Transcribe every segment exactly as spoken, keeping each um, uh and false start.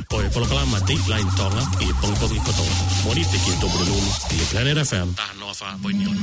Ko e polokalama Dateline Tonga ʻi he pongipongi kotoa. Mōnite ki he Tupuna Lulu ʻi he Planet F M taha noa fā poini ono.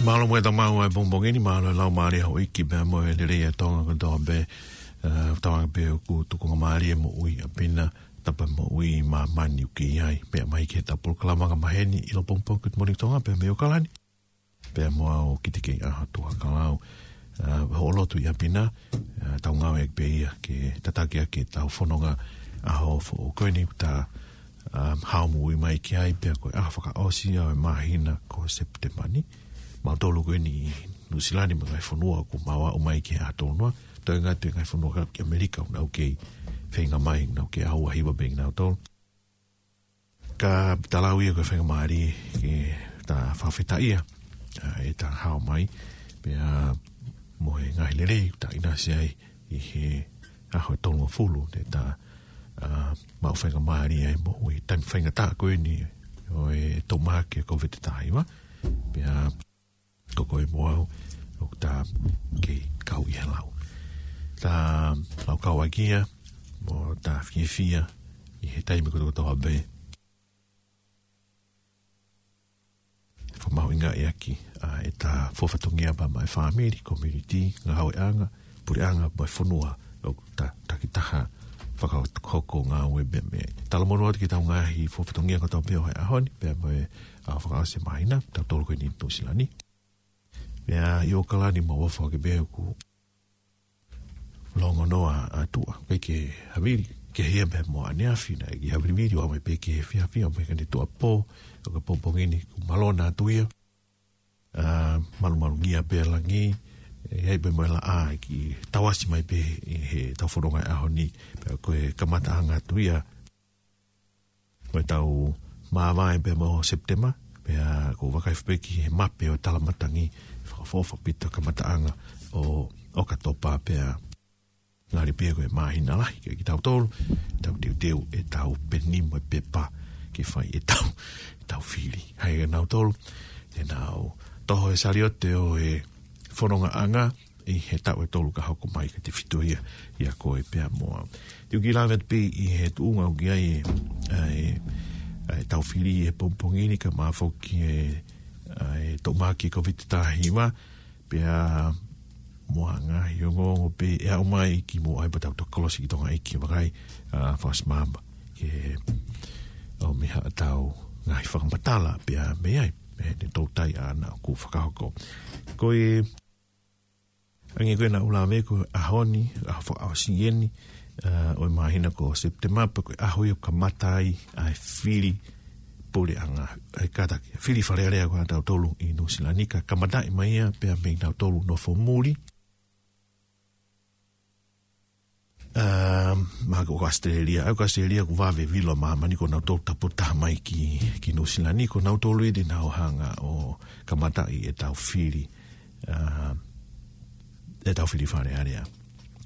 Mālō muʻa e tau maʻu ʻa e pongipongi ni, mālō e lau mālie ʻa houʻeiki pea mo e lelei ʻa Tonga kotoa pē, ʻa, tauange pē ʻoku tukunga mālie moʻui ʻa Pina, tapa moʻui māmani ʻoku kei ʻi ai, pea mai ki he tau polokalama ka maheni ʻi lo pongipongi Good Morning Tonga, pea mei ʻOkalani. Pea mo au ki te kei ʻaho Tuʻa Kalau, ʻa, hoʻo lotu ia Pina, ʻa, tau ngāueʻaki pē ia ke tataki ʻaki e tau fononga ʻaho foʻou ko eni ʻoku ta, ʻa, hao moʻui mai ki ai pea ko e ʻaho fakaʻosi ia ʻo e māhina ko Sepitema ni. Mautolu ko eni ʻi Nuʻusila ni mo e ngaahi fonua ʻoku mau aʻu mai ki he ʻaho tolu noa. Toe ngata e ngaahi fonua ka ki ʻAmelika ʻoku nau kei feinga mai, ʻoku nau kei ʻaho ua hiva pē kinautolu. Ka ta lau ia ko e faingamālie ke ta fakafetaʻia, ʻa, e ta hao mai, pea mo e ngaahi lelei, ta ʻinasi ai ʻi he ʻaho tolungofulu, te ta, ʻa, maʻu faingamālie ai moʻui he taimi faingataʻa ko eni ʻo e toʻu mahaki ʻa e Kōviti taha hiva, pea ko koe mo au, ʻoku ta kei kau ʻi he lau. Ta lau kau ʻaki ia, mo ta fiefia, ʻi he taimi kotokotoa pē. Fakamahuʻingaʻi ʻaki, ʻa, e ta fua fatongia pea maʻa e fāmili, community, ngāueʻanga, puleʻanga, mo e fonua, ʻoku ta takitaha fakahoko ngāue pea mei ai. Talamonū atu ki he tau ngaahi fua fatongia kotoa pē ʻo e ʻaho ni, pea mo e ʻaho fakaʻosi e māhina, tautolu ko eni Nuʻusila ni. Pea ʻi ʻOkalani mau ʻofa ke pehē ʻoku longo noa ʻa Tuʻa, ʻikai ke havili, ke hia pē mo ʻaneafi naʻe kei havilivili, ʻo mai pē ki he efiafi, ʻo mai ki he tuʻapō, ʻo ka pongipongi ni kuo malona atu ia. ʻA, malumalu ngia pē langi, ʻe, ʻi ai pē mo e laʻā, ʻe kei tauasi mai pē ʻi he tau fononga ʻaho ni, pea ko e kamataʻanga atu ia ʻo e tau māvae pea mo Sepitema, pea ʻoku ou vakai pē ki he mape ʻo e talamatangi, fakaʻofoʻofa pē ʻa e kamataʻanga ʻo ʻOkatopa pea ngali pē ko e māhina lahi kiate kitautolu, tau teuteu e tau peni mo e pepa ke fai e tau, e tau fili. Hai e nautolu, te nau toho e saliote ʻo e fonongaʻanga, ʻi he taʻu ʻe tolu ka hoko mai ka te fito ia, ʻia koe pea mo au. Te u kiʻi lave atu pē ʻi he tuʻunga ʻoku ʻi ai e, ʻa e, ʻa e tau fili he pongipongi ni ka mafoki e, ʻa e toʻu mahaki Kōviti taha hiva, pea mo ha ngaahi ongoongo pē ʻe aʻu mai ki muʻa ai pea tau toki kolosi ki Tonga ʻEiki vakai, ʻa, fakaʻosi māmani. Ke ʻomi ha tau ngaahi fakamatala pea mei ai, mei he toutai ʻaʻana ʻoku fakahoko. Ko e ʻange ko ē naʻa ku lave ko e ʻaho ni, ʻaho fakaʻosi eni, ʻa, ʻo e māhina ko Sepitema pea ko e ʻaho ia ʻoku kamata ai ʻa e fili puleʻanga, ʻa e kātaki, fili Fale Alea ko ē ʻa tautolu ʻi Nuʻusila ni ka kamataʻi mai ia pea mei nautolu nofo muli. ʻA, mahalo ko ʻAositelēlia, ʻa ia ko ʻAositelēlia ʻoku vave vilo māmani ko nautolu tāputaha mai ki, ki Nuʻusila ni, ko nautolu ʻi te nau hanga ʻo kamataʻi e tau fili, ʻa, e tau fili Fale Alea.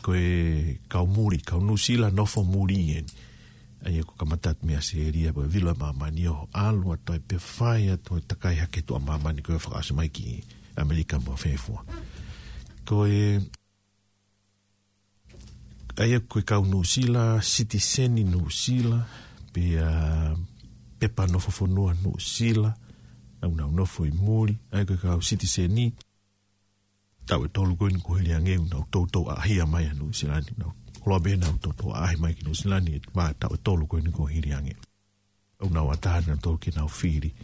Ko e kau muli, kau Nuʻusila nofo muli eni. ʻA ia ʻoku kamata atu mei ʻAositelēlia, ko e vilo māmani ʻo ʻalu atu ai pea fai atu e takai hake tuʻa māmani ko e fakaʻosi mai ki ʻAmelika mo fēfua. Ko e ʻA ia ko e kau Nuʻusila, sitiseni Nuʻusila, pea pepa nofo fonua Nuʻusila, ʻoku nau nofo ʻi muli, ʻa ia ko e kau sitiseni, taʻu ʻe tolu ko eni kuo hili ange ʻoku nau toutou ʻaʻahia mai ʻa Nuʻusila ni, nau, koloa pē nau toutou ʻaʻahi mai ki Nuʻusila ni, ʻe ma taʻu ʻe tolu ko eni kuo hili ange. ʻOku nau ʻatā nautolu ke nau fili,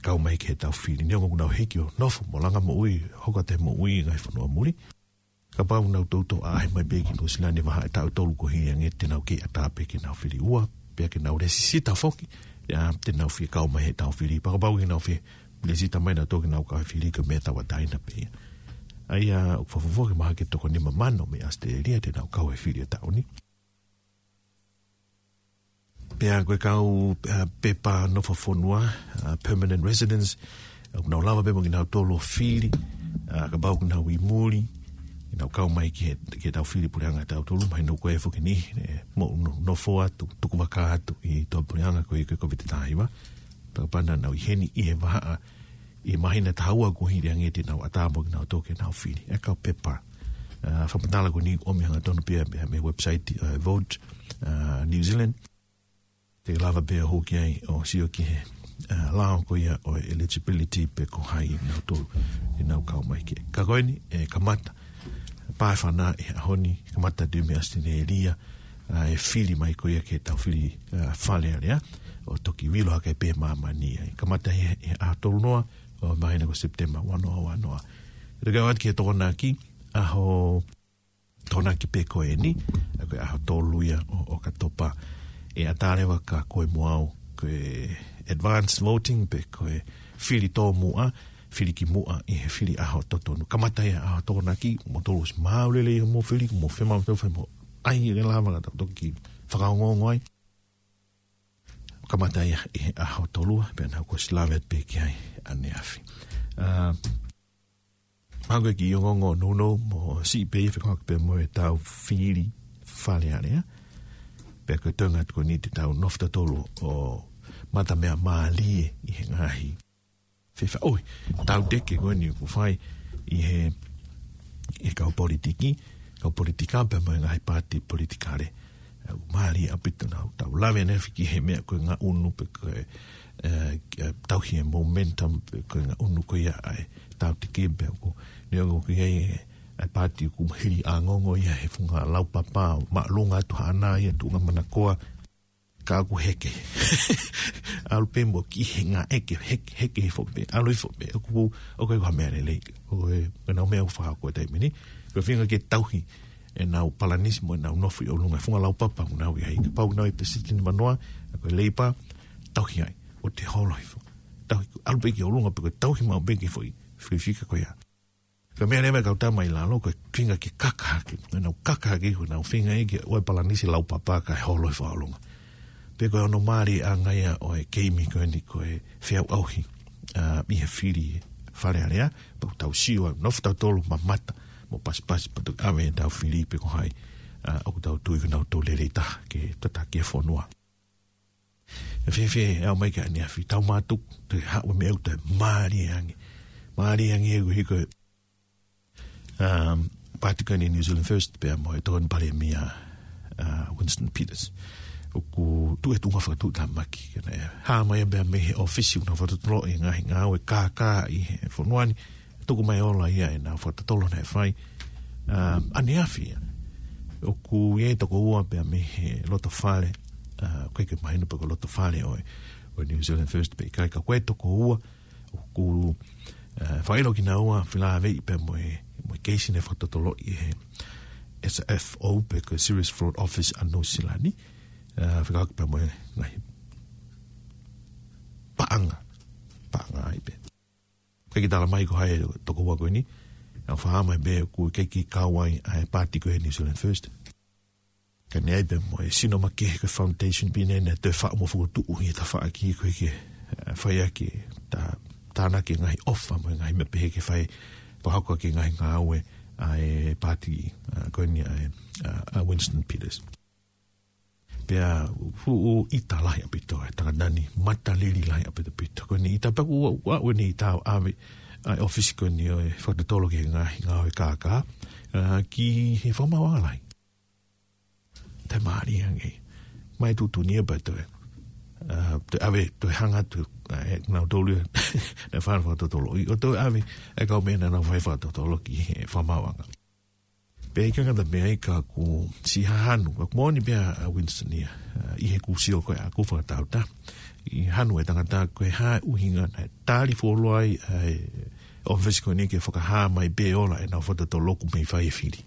kau mai ki he tau fili, neongo ʻoku nau hiki ʻo nofo mo langa moʻui, hoko atu e moʻui ngaahi fonua muli. Kapau nau toutou ʻaʻahi mai pē ki Nuʻusila ni vahaʻa e taʻu ʻe tolu kuo hili ange te nau kei ʻatā pē ke nau fili ua. Pea ke nau lēsisita foki, ia, te nau fie kau mai he tau fili. Pea kapau ke nau fie lēsisita mai nautolu ke nau kau he fili, ko e meʻa tauʻatāina pē ia. ʻA ia, ʻoku fakafoki mai ke toko nima mano mei ʻAositelēlia te nau kau he fili ʻo e taʻu ni. Pea ko e kau, ā, pepa nofo fonua, ā, permanent residence, ʻoku nau lava pē mo kinautolu ʻo fili, ā, kapau ʻoku nau ʻi muli, ke nau kau mai ki he, ki he tau fili puleʻanga ʻatautolu, mahino ko e foki ni, ē, mo no-, nofo atu, tuku vaka atu ʻi he tau puleʻanga ko e, ko e Covid taha hiva. Pea kapau naʻa nau ʻi heni ʻi he vahaʻa, ʻi he māhina taha ua kuo hili ange te nau ʻatā mo kinautolu ke nau fili. E kau pepa. Ā, fakamatala ko eni ʻoku ʻomi hangatonu pē ia mei he website, ā, Vote, ā, New Zealand. Te ke lava pē ʻo hū ki ai ʻo sio ki he, ā, lao ko ia ʻo e eligibility pe ko hai nautolu ʻe nau kau mai ki ai. Ka ko eni, ʻe kamata, pā e fānau ʻi he ʻaho ni, kamata atu mei ʻAositelēlia, ā, e fili mai ko ia ki he tau fili, ā, Fale Alea, ʻo toki vilo hake pē māmani ai. Kamata he, he ʻaho tolu noa, ʻo māhina ko Sepitema, ua noa, ua noa. Te ke ʻoatu ki he Tokonaki, ʻaho Tokonaki pē ko eni, ʻa ko e ʻaho tolu ia ʻo, ʻo ʻOkatopa. ʻE ʻatā leva kia koe mo au, ko e advance voting pe ko e fili tōmuʻa, fili ki muʻa ʻi he fili ʻaho totonu. Kamata ia ʻaho Tokonaki, mou tolu ʻosi maau lelei mo fili, mo fema mo tau fai mo ai e lava ka tau toki fakaongoongo ai. Kamata ia ʻi he ʻaho tolu, pea naʻa ku ʻosi lave pē ki ai ʻaneafi. Ā, Hangē ko e kiʻi ongoongo nounou mo siʻi pē ia fekauʻaki pē mo e tau fili Fale Alea. Pea ko e toenga atu ko eni te tau nofo tautolu ʻo mata meʻa mālie ʻi he ngaahi fefaʻuhi. Tau teke ko eni ʻoku fai ʻi he, ʻi he kau politiki, kau politika pea mo e ngaahi paati politikale. ʻOku mālie ʻaupito naʻa tau lave ʻaneafi ki he meʻa ko e ngaʻunu pe ko e, ē, ē, tauhi e momentum pe ko e ngaʻunu ko ia ʻa e tau teke pea ʻoku, neongo ʻoku ʻi ai e, e paati ʻoku hili ʻa e ongoongo ia he funga laupapa, māʻolunga atu haʻana ia tuʻunga manakoa, ka ʻoku heke. ʻAlu pē mo ki he ngā ʻeke, heke, heke hifo pē, ʻalu hifo pē, ʻoku, ʻoku ʻikai ko ha meʻa lelei, ʻoku ʻikai ko e ngaahi meʻa ʻoku fakahoko he taimi ni, ko e feinga ke tauhi ʻenau palanisi mo ʻenau nofo ʻi ʻolunga e funga laupapa ʻoku nau ʻi ai. Kapau ʻoku nau ʻi he peseti nimanoa, ko e Leipa, tauhi ai, ʻoua te holo hifo. Tauhi, ʻalu pē ki ʻolunga pē ko e tauhi maʻu pē ki he foʻi, fika ko ia. Ko e meʻa leva e kau tama ʻi lalo, ko e feinga ke kaka hake, ʻenau kaka hake, ko ʻenau feinga ia ke ʻoua e palanisi laupapa kae holo hifo ʻa ʻolunga. Pea ko e ongo mālie ʻanga ia ʻo e keimi ko eni ko e feʻauʻauhi, ā, ʻi he fili Fale Alea, pea ʻoku tau sio ai, nofo tautolu mamata, mo pasipasi, pea toki ʻave ʻetau fili pe ko hai, ā, ʻoku tau tui ko nautolu lelei taha ke tataki e fonua. ʻE fēfē, ʻe ʻomai ki ʻaneafi, tau mātuku, te haʻu e meʻa ʻoku toe mālie ange. Mālie ange ʻoku hiko e, um, paati ko eni New Zealand First, pea mo e Tokoni Palēmia, ā, Winston Peters. ʻOku tuʻu e tuʻunga fakatuʻutāmaki, ke ne hā mai pea mei he ʻōfisi ʻoku nau fakatotoloʻi e ngaahi ngāue kākā ʻi he fonua ni, tuku mai ola ia ʻenau fakatotolo naʻe fai, ā, ʻaneafi ia. ʻOku ʻi ai e toko ua pea mei he loto fale, ā, ʻoku ʻikai ke mahino pe ko e loto fale ʻo e, ʻo e New Zealand First pe ʻikai, ka ko e toko ua, ʻoku, ā, fakaʻilo kinaua felāveʻi pea mo e, mo e keisi naʻe fakatotoloʻi ʻe he S F O pe ko e Serious Fraud Office ʻa Nuʻu Sila ni, ā, fekauʻaki pea mo e ngaahi paʻanga, paʻanga ai pē. ʻIkai ke tala mai ko hai e toko ua ko eni, ʻa e fakahā mai pē ʻoku ʻikai ke kau ai ʻa e paati ko e New Zealand First. Ka naʻe ʻi ai pē mo e sino makehe ko e foundation pē naʻe toe faʻu mo fokotuʻu ʻi he tafaʻaki ko ē ke, ā, fai ʻaki e tā-, tānaki e ngaahi ʻofa mo e ngaahi meʻa pehē ke fai fakahoko ʻaki e ngaahi ngāue ʻa e paati, ā, ko eni ʻa e, ā, ʻa Winston Peters. Pea fuʻu ʻita lahi ʻaupito e tangata ni, matalili lahi ʻaupito ʻaupito. Ko eni ʻita pē ʻoku ʻa, ʻa, ʻa eni ʻita ʻave ʻa e ʻōfisi ko eni ʻo e fakatotolo ki he ngaahi ngāue kākā, ā, ki he fakamaauʻanga lahi. Toe mālie ange. Mai tuʻutuʻuni ia pea toe, ā, toe ʻave, toe hanga atu, ā, ʻe nautolu ia naʻe fai fakatotolo. ʻO toe ʻave e kau meʻa naʻa nau fai fakatotolo ki he fakamaauʻanga. Pea ʻikai ngata pē ai ka ʻoku siʻi hanu, ka ʻoku moʻoni pē ʻa Winston ia, ā, ʻi heʻeku sio ko ē ʻaʻaku fakatāutaha. ʻI he hanu e tangata ko e hā e ʻuhinga naʻe tali fuoloa ai ʻa e ʻōfisi ko eni ke fakahā mai pē ola ʻenau fakatotolo ʻoku mei fai e fili.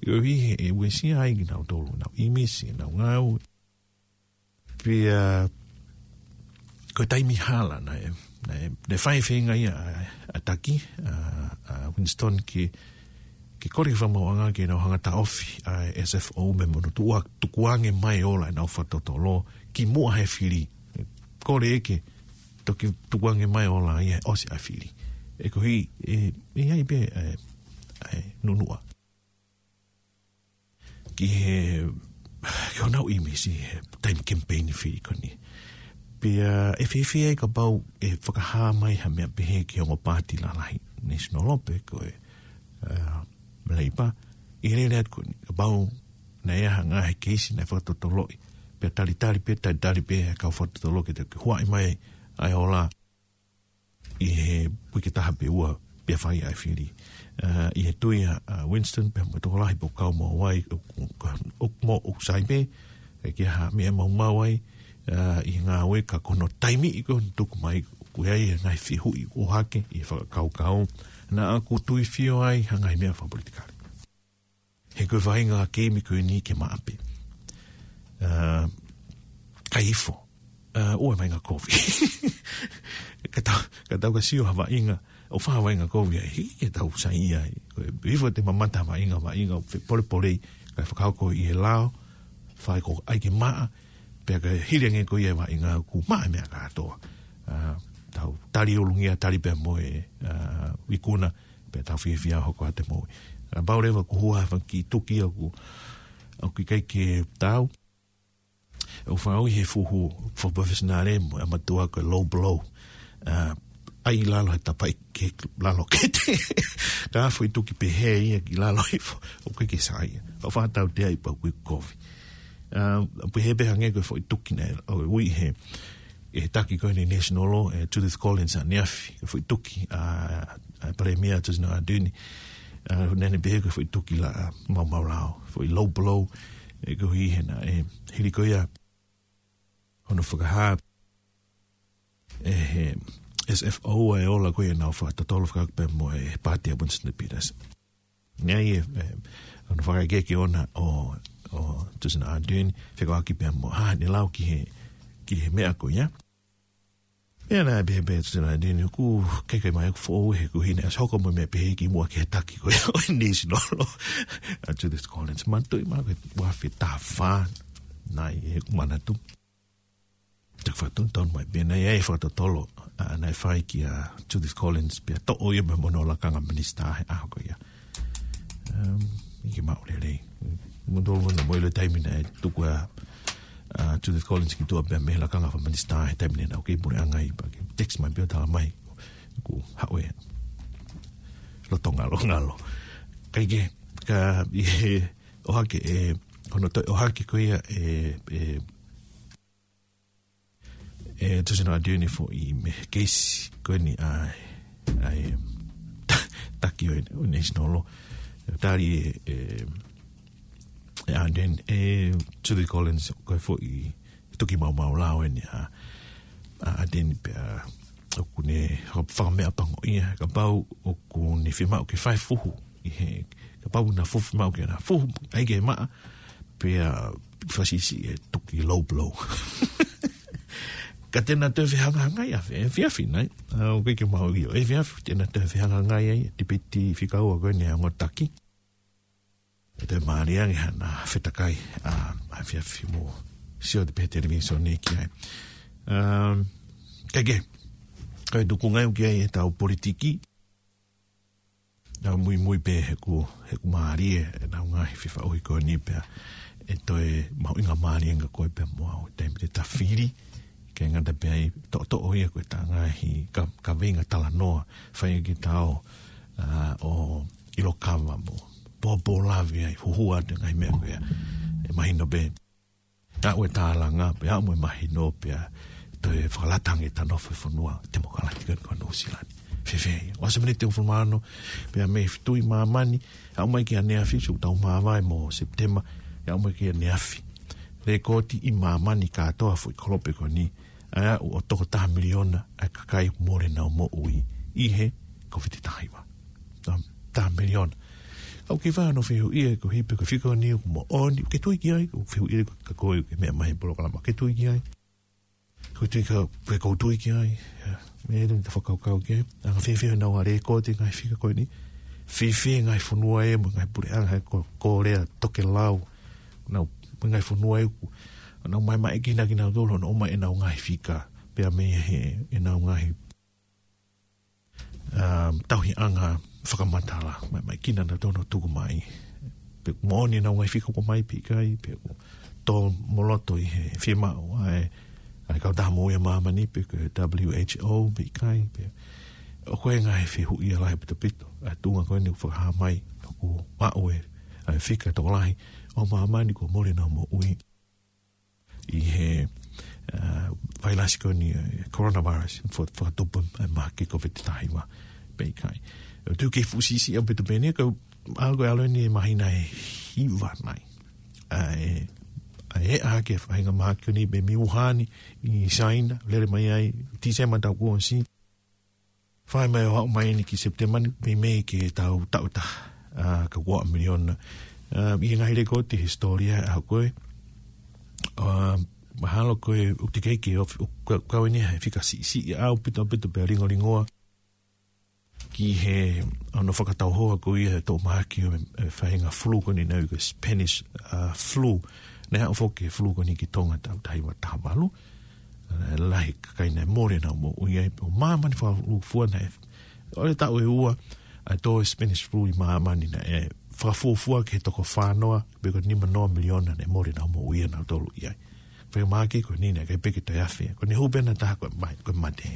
ʻIo ʻi he ʻe uesia ai kinautolu, ʻenau ʻīmisi, ʻenau ngāue. Pea ko e taimi hala naʻe, naʻe, naʻe fai e feinga ia ʻa, ʻa Taki, ʻa, ʻa Winston ke, ke kole fakamaauʻanga ke nau hanga ʻo taʻofi ʻa e S F O mei hono tuku, tukuange mai ʻo ola ʻenau fakatotolo kimuʻa he fili. Kole ʻe ke toki tukuange mai ʻo ola ia ʻosi ʻa e fili. ʻE koeʻuhi, ʻe, ʻe ʻi ai pē, ʻe, ʻe nunuʻa ki he, ki honau ʻīmisi he taimi kemipeini fili ko eni. Pea ʻe fēfē ai kapau ʻe fakahā mai ha meʻa pehē ki he ongo paati lalahi, National pe ko e, ʻa, Labour, ʻi he lele atu ko eni, kapau naʻe ʻi ai ha ngaahi keisi naʻe fakatotoloʻi, pea talitali pē, talitali pē ʻa e kau fakatotolo ke toe huaʻi mai ʻa e ola ʻi he uike ʻe taha pe ua pea fai ʻa e fili. ʻA, ʻi he tui ʻa, ʻa Winston pea mo e tokolahi pe ko e kau mo Hawaii, ʻo, ʻo, ʻo, mo ʻoku sai pē, ʻe ʻikai ha meʻa maumau ai, ʻa, ʻi he ngāue ka ko hono taimi ʻi ko hono tuku mai, ko e ʻi ai e ngaahi fehuʻi ʻohake ʻi he fakakaukau, naʻa ku tuifio ai ha ngaahi meʻa fakapolitikale. He ko e vaʻinga keimi ko eni ke maʻa pē. ʻA, kai ifo. ʻA, ʻoua ʻe vaʻinga kovi. Ka tau, ka tau ka sio ha vaʻinga, ʻo fai ha vaʻinga kovi ai, hiki ke tau saiʻia ai. Ko e ifo te mamata ha vaʻinga, vaʻinga ʻo fepolepolei, kae fakahoko ʻi he lao, fai ko ai ke maʻa, pea ka hili ange ko ia e vaʻinga kuo maʻa e meʻa kātoa. ʻA, tau tali ʻolungia, tali pea mo e, ʻa, ikuna, pea tau fiefia hoko atu e moʻui. ʻA, pau leva kuo hua ha fanga kiʻi tuki ʻoku, ʻoku ʻikai ke tau. ʻOku fakaʻuhi he fuhu, fuhu professional mo e ʻamatua ko e low blow. ʻA, ʻai lalo he tapai ke lalo kete. Ka foʻi tuki pehē ia ki lalo hifo, ʻoku ʻikai ke saiʻia. ʻOku fakatautea ai pau kuo kovi. ʻA, pehē pē hangē ko e foʻi tuki naʻe, ʻo ui he, ʻe he taki ko eni National, ʻe Judith Collins ʻaneafi, ko e foʻi tuki ʻa, ʻa Palēmia Jacinda Ardern, ʻa, naʻa ne pehē ko e foʻi tuki laʻā maumau lao, foʻi low blow, ʻe koeʻuhi he naʻe, ʻe, hili ko ia hono fakahā ʻe he S F O ʻa e ola ko ia ʻenau fakatotolo fakataha pea mo e paati ʻa Winston Peters. Naʻe ʻi ai e, ʻe, hono fakaʻekeʻeke ʻoʻona ʻo, ʻo Jacinda Ardern, fekauʻaki pea mo, ʻa, ne lau ki he, ki he meʻa ko ia. Pea naʻe pehē pē ʻe Jacinda Ardern, ʻoku ʻikai ke ʻi ai ha meʻa ʻoku foʻou he ʻoku ʻikai ke ne ʻasi hoko mo e meʻa pehē kimuʻa ki he taki ko ia ʻo e National. ʻA Judith Collins, manatuʻi mai ko e ua afe taha fā, naʻe ʻi heʻeku manatu. Te u fakatotonu mai pē naʻe ʻi ai e fakatotolo, ʻa, naʻe fai kia Judith Collins, pea toʻo ia mei hono lakanga minisitā he ʻaho ko ia. Um, ʻikai ke maʻu lelei. Mo tolu ʻana mo ʻilo taimi naʻe tuku ʻa, ʻa Judith Collins ki tuʻa pea mei he lakanga fakaminisitā he taimi naʻa ku kei puleʻanga ai, pea ke text mai pē ʻo tala mai, kuo haʻu e loto ngalongalo. Kae kehe, ka ʻi he ʻohake ʻe, hono toe ʻohake ko ia ʻe, ʻe, ʻe Jacinda Ardern foʻi mei he keisi ko eni ʻa, ʻa e ta-, taki ʻo e, ʻo e National. Tali ʻe, ʻe, ʻe Ardern, ʻe Judith Collins ko e foʻi tuki maumau lao eni ʻa, ʻa Ardern pea ʻoku ne faka-, fakameʻapangoʻia, kapau ʻoku ne fiemaʻu ke fai fuhu ʻi he, kapau naʻe fuhu fiemaʻu ke na fuhu, ʻai ke maʻa, pea fakasiʻisiʻi e tuki low blow. Ka te na toe fehangahangai ʻa e efiafi nai. ʻA, ʻoku ʻikai ke maʻu ʻio. Efiafi, te na toe fehangahangai ai, tipiti fika ua ko eni ʻa e ongo taki. ʻE toe mālie ange hana fetakai, ʻa, ʻa efiafi mo sio atu pē he televīsone ki ai. Um, kae kehe, ko e tuku ngai ʻoku ʻi ai e tau politiki, ʻa muimui pē he ʻoku, he ʻoku mālie ʻenau ngaahi fefaʻuhi ko eni pea ʻe toe mahuʻinga mālie ange ko e pea mo au taimi te ta fili, ke ngata pē ai toʻotoʻo ia ko e ta ngaahi ka, kaveinga talanoa, fai ki tau, ʻa, ʻo ʻilo kava mo pōpō lave ai, huhua atu e ngaahi meʻa ko ia. ʻE mahino pē ʻa e tālanga, pea ʻa e mahino pea toe fakalata ange ʻeta nofo he fonua temokalati ko eni ko Nuʻu Sila ni. Fēfē ia. ʻOsi miniti ʻe hongofulu mā ono, pea mei he fitu ʻi māmani, aʻu mai ki ʻaneafi, sio ʻoku tau māvae mo Sepitema, aʻu mai ki ʻaneafi. Lēkooti ʻi māmani kātoa foʻi kolope ko eni, ʻa e aʻu ʻo toko taha miliona ʻa e kakai mole ʻenau moʻui ʻi he Kōviti taha hiva. Taha miliona. ʻOku ke fai hono fehuʻia ko e hā pē ko e fika ni ʻoku moʻoni, ke tui ki ai, ʻoku fehuʻia ko e ka ko e ke meʻa mai he polokalama, ke tui ki ai. Ko e tui ka, ko e ʻoku ou tui ki ai. ʻIa, meʻa ʻeni te u fakakaukau ki ai. Anga fēfē ʻenau ʻa lēkooti e ngaahi fika ko eni. Fēfē e ngaahi fonua ē, mo e ngaahi puleʻanga ē ko, ko Korea, Tokelau. Nau, mo e ngaahi fonua ē ʻoku, nau maʻu mai e kinautolu, nau ʻomai ʻenau ngaahi fika. Pea mei he, ʻenau ngaahi um, tauhiʻanga fakamatala, mai, mai kina na tono tuku mai. Pe moʻoni ʻenau ngaahi fika ʻoku ʻomai pe ʻikai, pe ʻoku tō mo loto ʻi he fiemaʻu ʻa e, ʻa e Kautaha Moʻui ʻa Māmani, pe ko e W H O pe ʻikai, pe ʻoku ʻi ai e ngaahi fehuʻia lahi ʻaupito, ʻa e tuʻunga ko eni ʻoku fakahā mai, ʻoku maʻu e, ʻa e fika tokolahi ʻo māmani kuo mole ʻenau moʻui ʻi he, uh, vailasi ko eni, uh, coronavirus, fo-, fakatupu e mahaki Covid taha hiva pe ʻikai. ʻOku ou tui ʻoku fuʻu siʻisiʻi ʻaupito pē eni, ka ʻalu ko e ʻalu eni e māhina ʻe hiva nai. ʻA e, ʻa e ʻaʻake e faʻahinga mahaki ko eni mei Wuhan ʻi Saina, lele mai ai, Tīsema taʻu kuo ʻosi. Fai mai ʻo aʻu mai eni ki Sepitema ni, meimei ke tau taʻu ʻe taha, ʻa, ka ua miliona. ʻA, ʻi he ngaahi lēkooti hisitōlia ʻa ko ē. ʻA, mahalo ko e ʻoku teʻeki ke ʻofi, ʻo ka-, kau eni he fika siʻisiʻi ʻaupito, ʻaupito pea lingolingoa. Ki he, ʻa, hono fakatauhoa ko ia e toʻomahaki ʻo e, e faʻahinga flu ko eni naʻe ui ko e Spanish, ʻa, flu. Naʻe aʻu foki e flu ko eni ki Tonga taʻu taha hiva taha valu. ʻA, lahi e kakai naʻe mole ʻenau moʻui ai, ʻo māmani fakafuofua naʻe. ʻO e taʻu ʻe ua, ʻa e tō e Spanish flu ʻi māmani naʻe fakafuofua ki he toko fā noa, pe ko e nima noa miliona naʻe mole ʻenau moʻui ʻanautolu ʻi ai. Pea mahaki ko eni naʻe ʻikai pē ke toe afe. Ko eni hū pē ʻe taha ko e mai, ko e mate.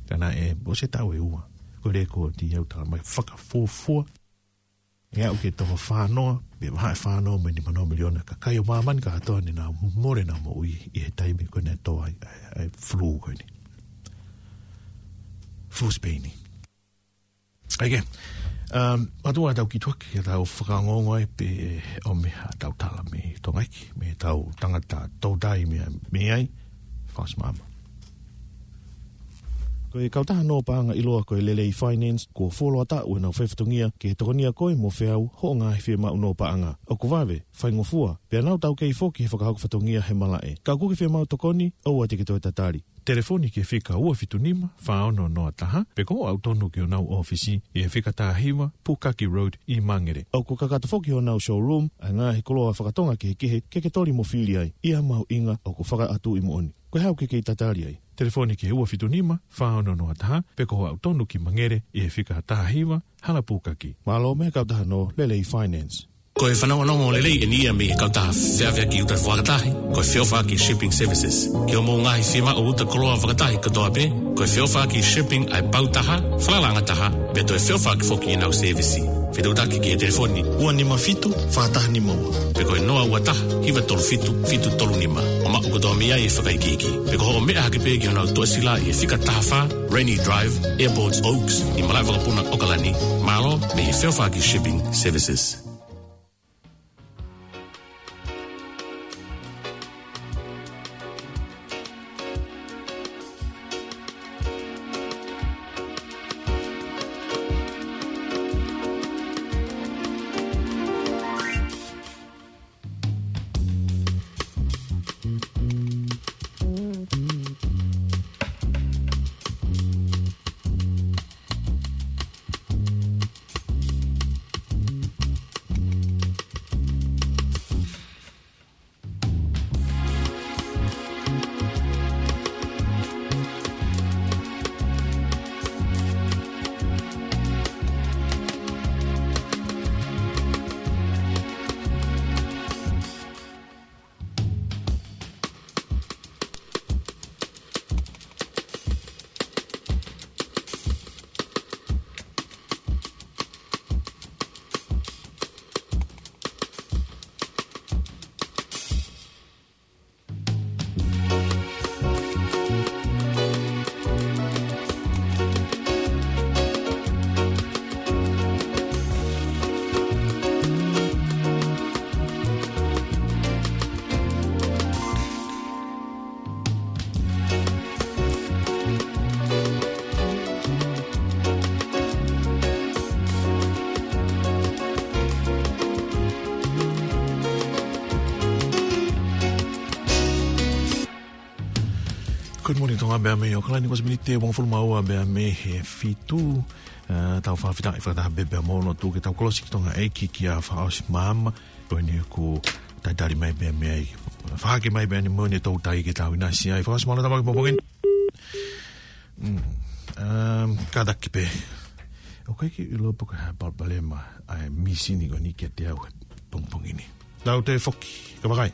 Ka naʻe, ʻosi e taʻu ʻe ua. Ko e lēkooti ʻoku tala mai fakafuofua ʻe aʻu ki he toko fā noa, pe vahe fā noa mo e nima noa miliona kakai ʻo māmani kātoa naʻa nau mole ʻenau moʻui ʻi he taimi ko ē naʻe tō ai, ʻa e, ʻa e flu ko eni. Flu Spain. ʻAi ke, um, ʻoatu ʻetau kiʻi tuʻaki ke tau fakaongoongo ai pe ʻomi haʻatau tala mei Tonga ʻEiki, mei heʻetau tangata toutai mei, mei ai, Fos Mama. Ko e kautaha nō paʻanga ʻiloa ko e Lelei Finance, kuo fuoloa taʻu ʻenau faifatongia ke tokonia koe mo feau hoʻo ngaahi fiemaʻu nō paʻanga. ʻOku vave, faingofua, pea nau taukei foki he fakahoko fatongia he malaʻe. Ka ʻoku ke fiemaʻu tokoni, ʻoua te ke toe tatali. Telefoni ki he fika ua fitu nima, fā ono noa taha, pe ko hoʻo aʻu tonu ki honau ʻōfisi, ʻi he fika taha hiva, Pukaki Road, ʻi Mangere. ʻOku kakato foki honau showroom, ʻa e ngaahi koloa fakatonga kehekehe, ke ke toli mo fili ai, ʻi ha mahuʻinga ʻoku fakaʻatuʻi moʻoni. Ko e hā ʻoku ke kei tatali ai? Telefoni ki he ua fitu nima, fā ono noa taha, pe ko hoʻo aʻu tonu ki Mangere, ʻi he fika taha hiva, Hala Pukaki. Mālō mei he kautaha nō Lelei Finance. Ko e fanongonongo lelei eni ia mei he kautaha feʻaveʻaki uta fakatahi, ko e Feʻofaʻaki Shipping Services. Ki hoʻomou ngaahi fiemaʻu uta koloa fakatahi kotoa pē, ko e Feʻofaʻaki Shipping ʻa e pau taha, falalaʻanga taha, pea toe feʻofaʻaki foki ʻenau sēvisi. Fetuʻutaki ki he telefoni ua nima fitu, fā taha nima ua, pe ko e noa ua taha, hiva tolu fitu, fitu tolu nima. ʻO maʻu kotoa mei ai e fakaikiiki. Pe ko hoʻo meʻa hake pē ki honau tuʻasila ʻi he fika taha fā, Rainy Drive, Airport Oaks, ʻi malaʻe vakapuna ʻOkalani. Mālō mei he Feʻofaʻaki Shipping Services. Good morning, Tonga, pea mei ʻAokalani, kuo ʻosi miniti ʻe hongofulu mā ua pea mei he fitu. Eh, tau fakafetaʻi fakataha pē pea mo e lotu ke tau kolosi ki Tonga ʻEiki kia Fakaʻosi Maama. Ko eni kuo talitali mai pea mei ai. Fakahake mai pē ʻene moʻoni ʻetau tai ke tau ʻinasi ai. Fakaʻosi, mālō e tama ki he pongipongi ni. Mm. Um, kātaki pē. ʻOku ʻikai ke u ʻilo pe ko e hā e palopalema ʻa e mīsini ko eni kiate au he pongipongi ni. Tau toe foki, ka vakai.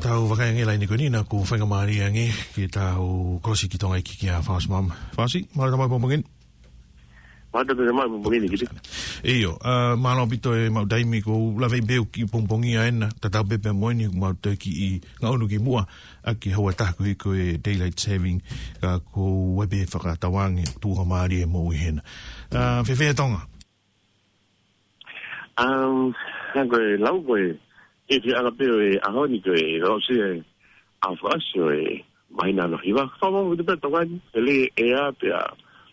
Tau vakai ange laini ko eni, naʻa ku faingamālie ange ke tau kolosi ki Tonga ʻEiki kia Fakaʻosi Maama. Fakaʻosi, mālō e tama ki he pongipongi ni. Mālō e tama ki he pongipongi ni, Kiti. ʻIo, ā, mālō ʻaupito e maʻu taimi, kuo u lave pē au ki he pongipongi ʻanenai, tatau pē pea mo eni, mau toe kiʻi ngaʻunu ki muʻa ʻaki e houa ʻe taha koeʻuhi ko e daylight saving, ka kuo u ʻai pē fakatauange, tuʻunga mālie e moʻui hena. Ā, fēfē Tonga? Um, hangē ko e lau ko ē, ʻe fiʻanga pē ʻo e ʻaho ni ko e lau si e ʻa Fakaʻosi ʻo e māhina hono hiva. Fakamaau ʻaupito pē Tonga ni, ʻe lelei e ʻea pea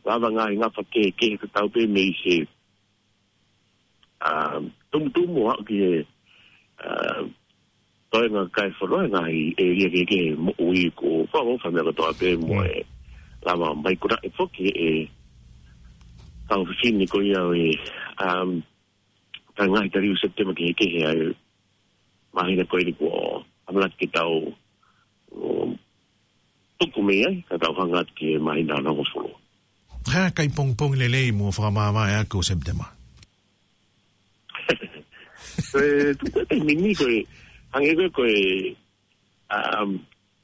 lava ngaahi ngafa kehekehe, tatau pē mei he, um, tumutumu ʻo aʻu ki he, um, toenga kakai e fonua, ngaahi ʻēlia kehekehe e moʻui, ko e fakaʻofoʻofa e meʻa kotoa pē mo Mm. e lava mai ko ē foki e kau fefine ko ia ʻo e, um, ka ngaahi taliu Sepitema kehekehe ʻa e māhina ko eni kuo ʻamanaki ke tau, um, tuku mei ai, ka tau hanga atu ki he māhina hono hongofulu. Hā e kai pongipongi lelei mo fakamāvae ʻaki ʻo Sepitema? Ko e tuku e taimi ni ko e, hangē ko e, ko e, um,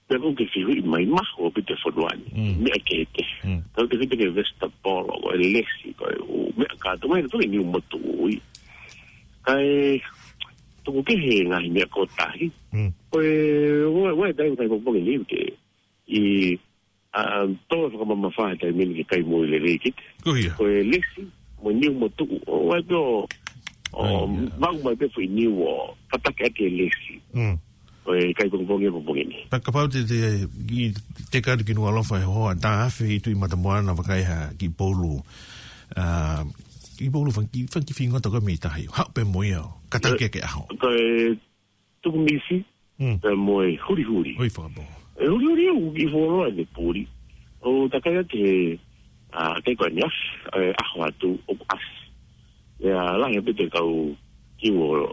pea ko e ke fehuʻi mai, mahuʻinga ʻaupito e fonua ni, Mm. meʻa kehekehe. Mm. Tau te fita ke vesitapolo, ko e lesi, ko e ʻū meʻa kātoa mai, tau ke niu motuʻu ʻi. Kae tuku kehe ngaahi meʻa kotoa tahi. Mm. Ko e, ua, ua e taimi kai pongipongi ni ke, ʻi, ā, tō fakamamafa he taimi ni ke kai moʻui lelei Kiti. Ko ia. Ko e lesi, mo e niu motuʻu. ʻO ʻai pē ʻo, ʻo ʻAi, ia. vau mai pē foʻi niu ʻo kātaki ʻaki e lesi. Mm. ʻO e kai pongipongi he pongipongi ni. Pea kapau te, te, ʻi, te kau ki Nukuʻalofa he hoʻatā afe ʻi Tuʻi Matamoana, vakai ha kiʻi poulu. Ā, kiʻi poulu fanga kiʻi, fanga kiʻi fingota ko ē mei tahi. Haʻu pē mo ia ʻo kātaki ʻaki e ʻaho. Ko e tuku misi, Mm. pea mo e hulihuli. ʻOi, fakapō. E hulihuli ʻoku kiʻi fuoloa ʻene puli. ʻO takai atu he, ā, kai ko eni afi, e ʻaho atu ʻoku ʻasi. ʻIa, lahi ʻaupito e kau kiʻi ʻo.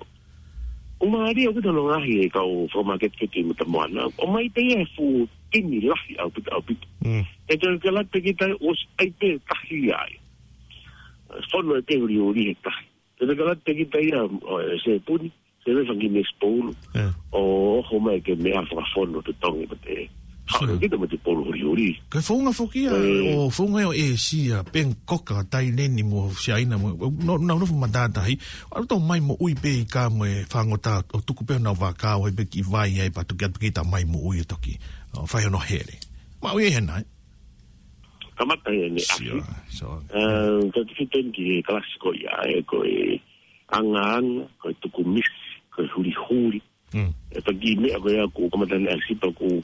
ʻOku mālie ʻaupito hono ngaohi e kau fakamāketi ʻi Matamoana. ʻOmai pē ia he fuʻu timi lahi ʻaupito, ʻaupito. Mm. He te ke lata ki tai ʻosi ʻai pē tahi ai. Fono ʻe pē hulihuli he tahi. Te ke lata ki tai ia, ʻo, e sepuni. Te me fanga kiʻi mesi poulu. Eh. ʻO, ʻo homai ke meʻa fakafono totongi mo te. Sure. Haʻu kita mo te poulu hulihuli. Ko e founga foki ia, Eh. ʻo founga ia ʻo ʻĒsia, Pengikoka, Taileni mo Siaina mo, no, no, no, matātahi. ʻAlu tau mai moʻui pē ʻi ka mo e fāngota ʻo tuku pē honau vaka ʻo ʻai pē kiʻi vai ai pea toki ʻatu kita mai moʻui ʻo toki. ʻO fai hono hele. Maʻu ia hena, ē? Kamata ia ʻene afi. Sure, sure. Eh, tau te fita eni ki he kalasi ko ia, ē, ko e angaanga, ko e tuku misi, ko e hulihuli. Mm. E taki meʻa ko ia ʻoku kamata ʻene ʻasi pea ʻoku.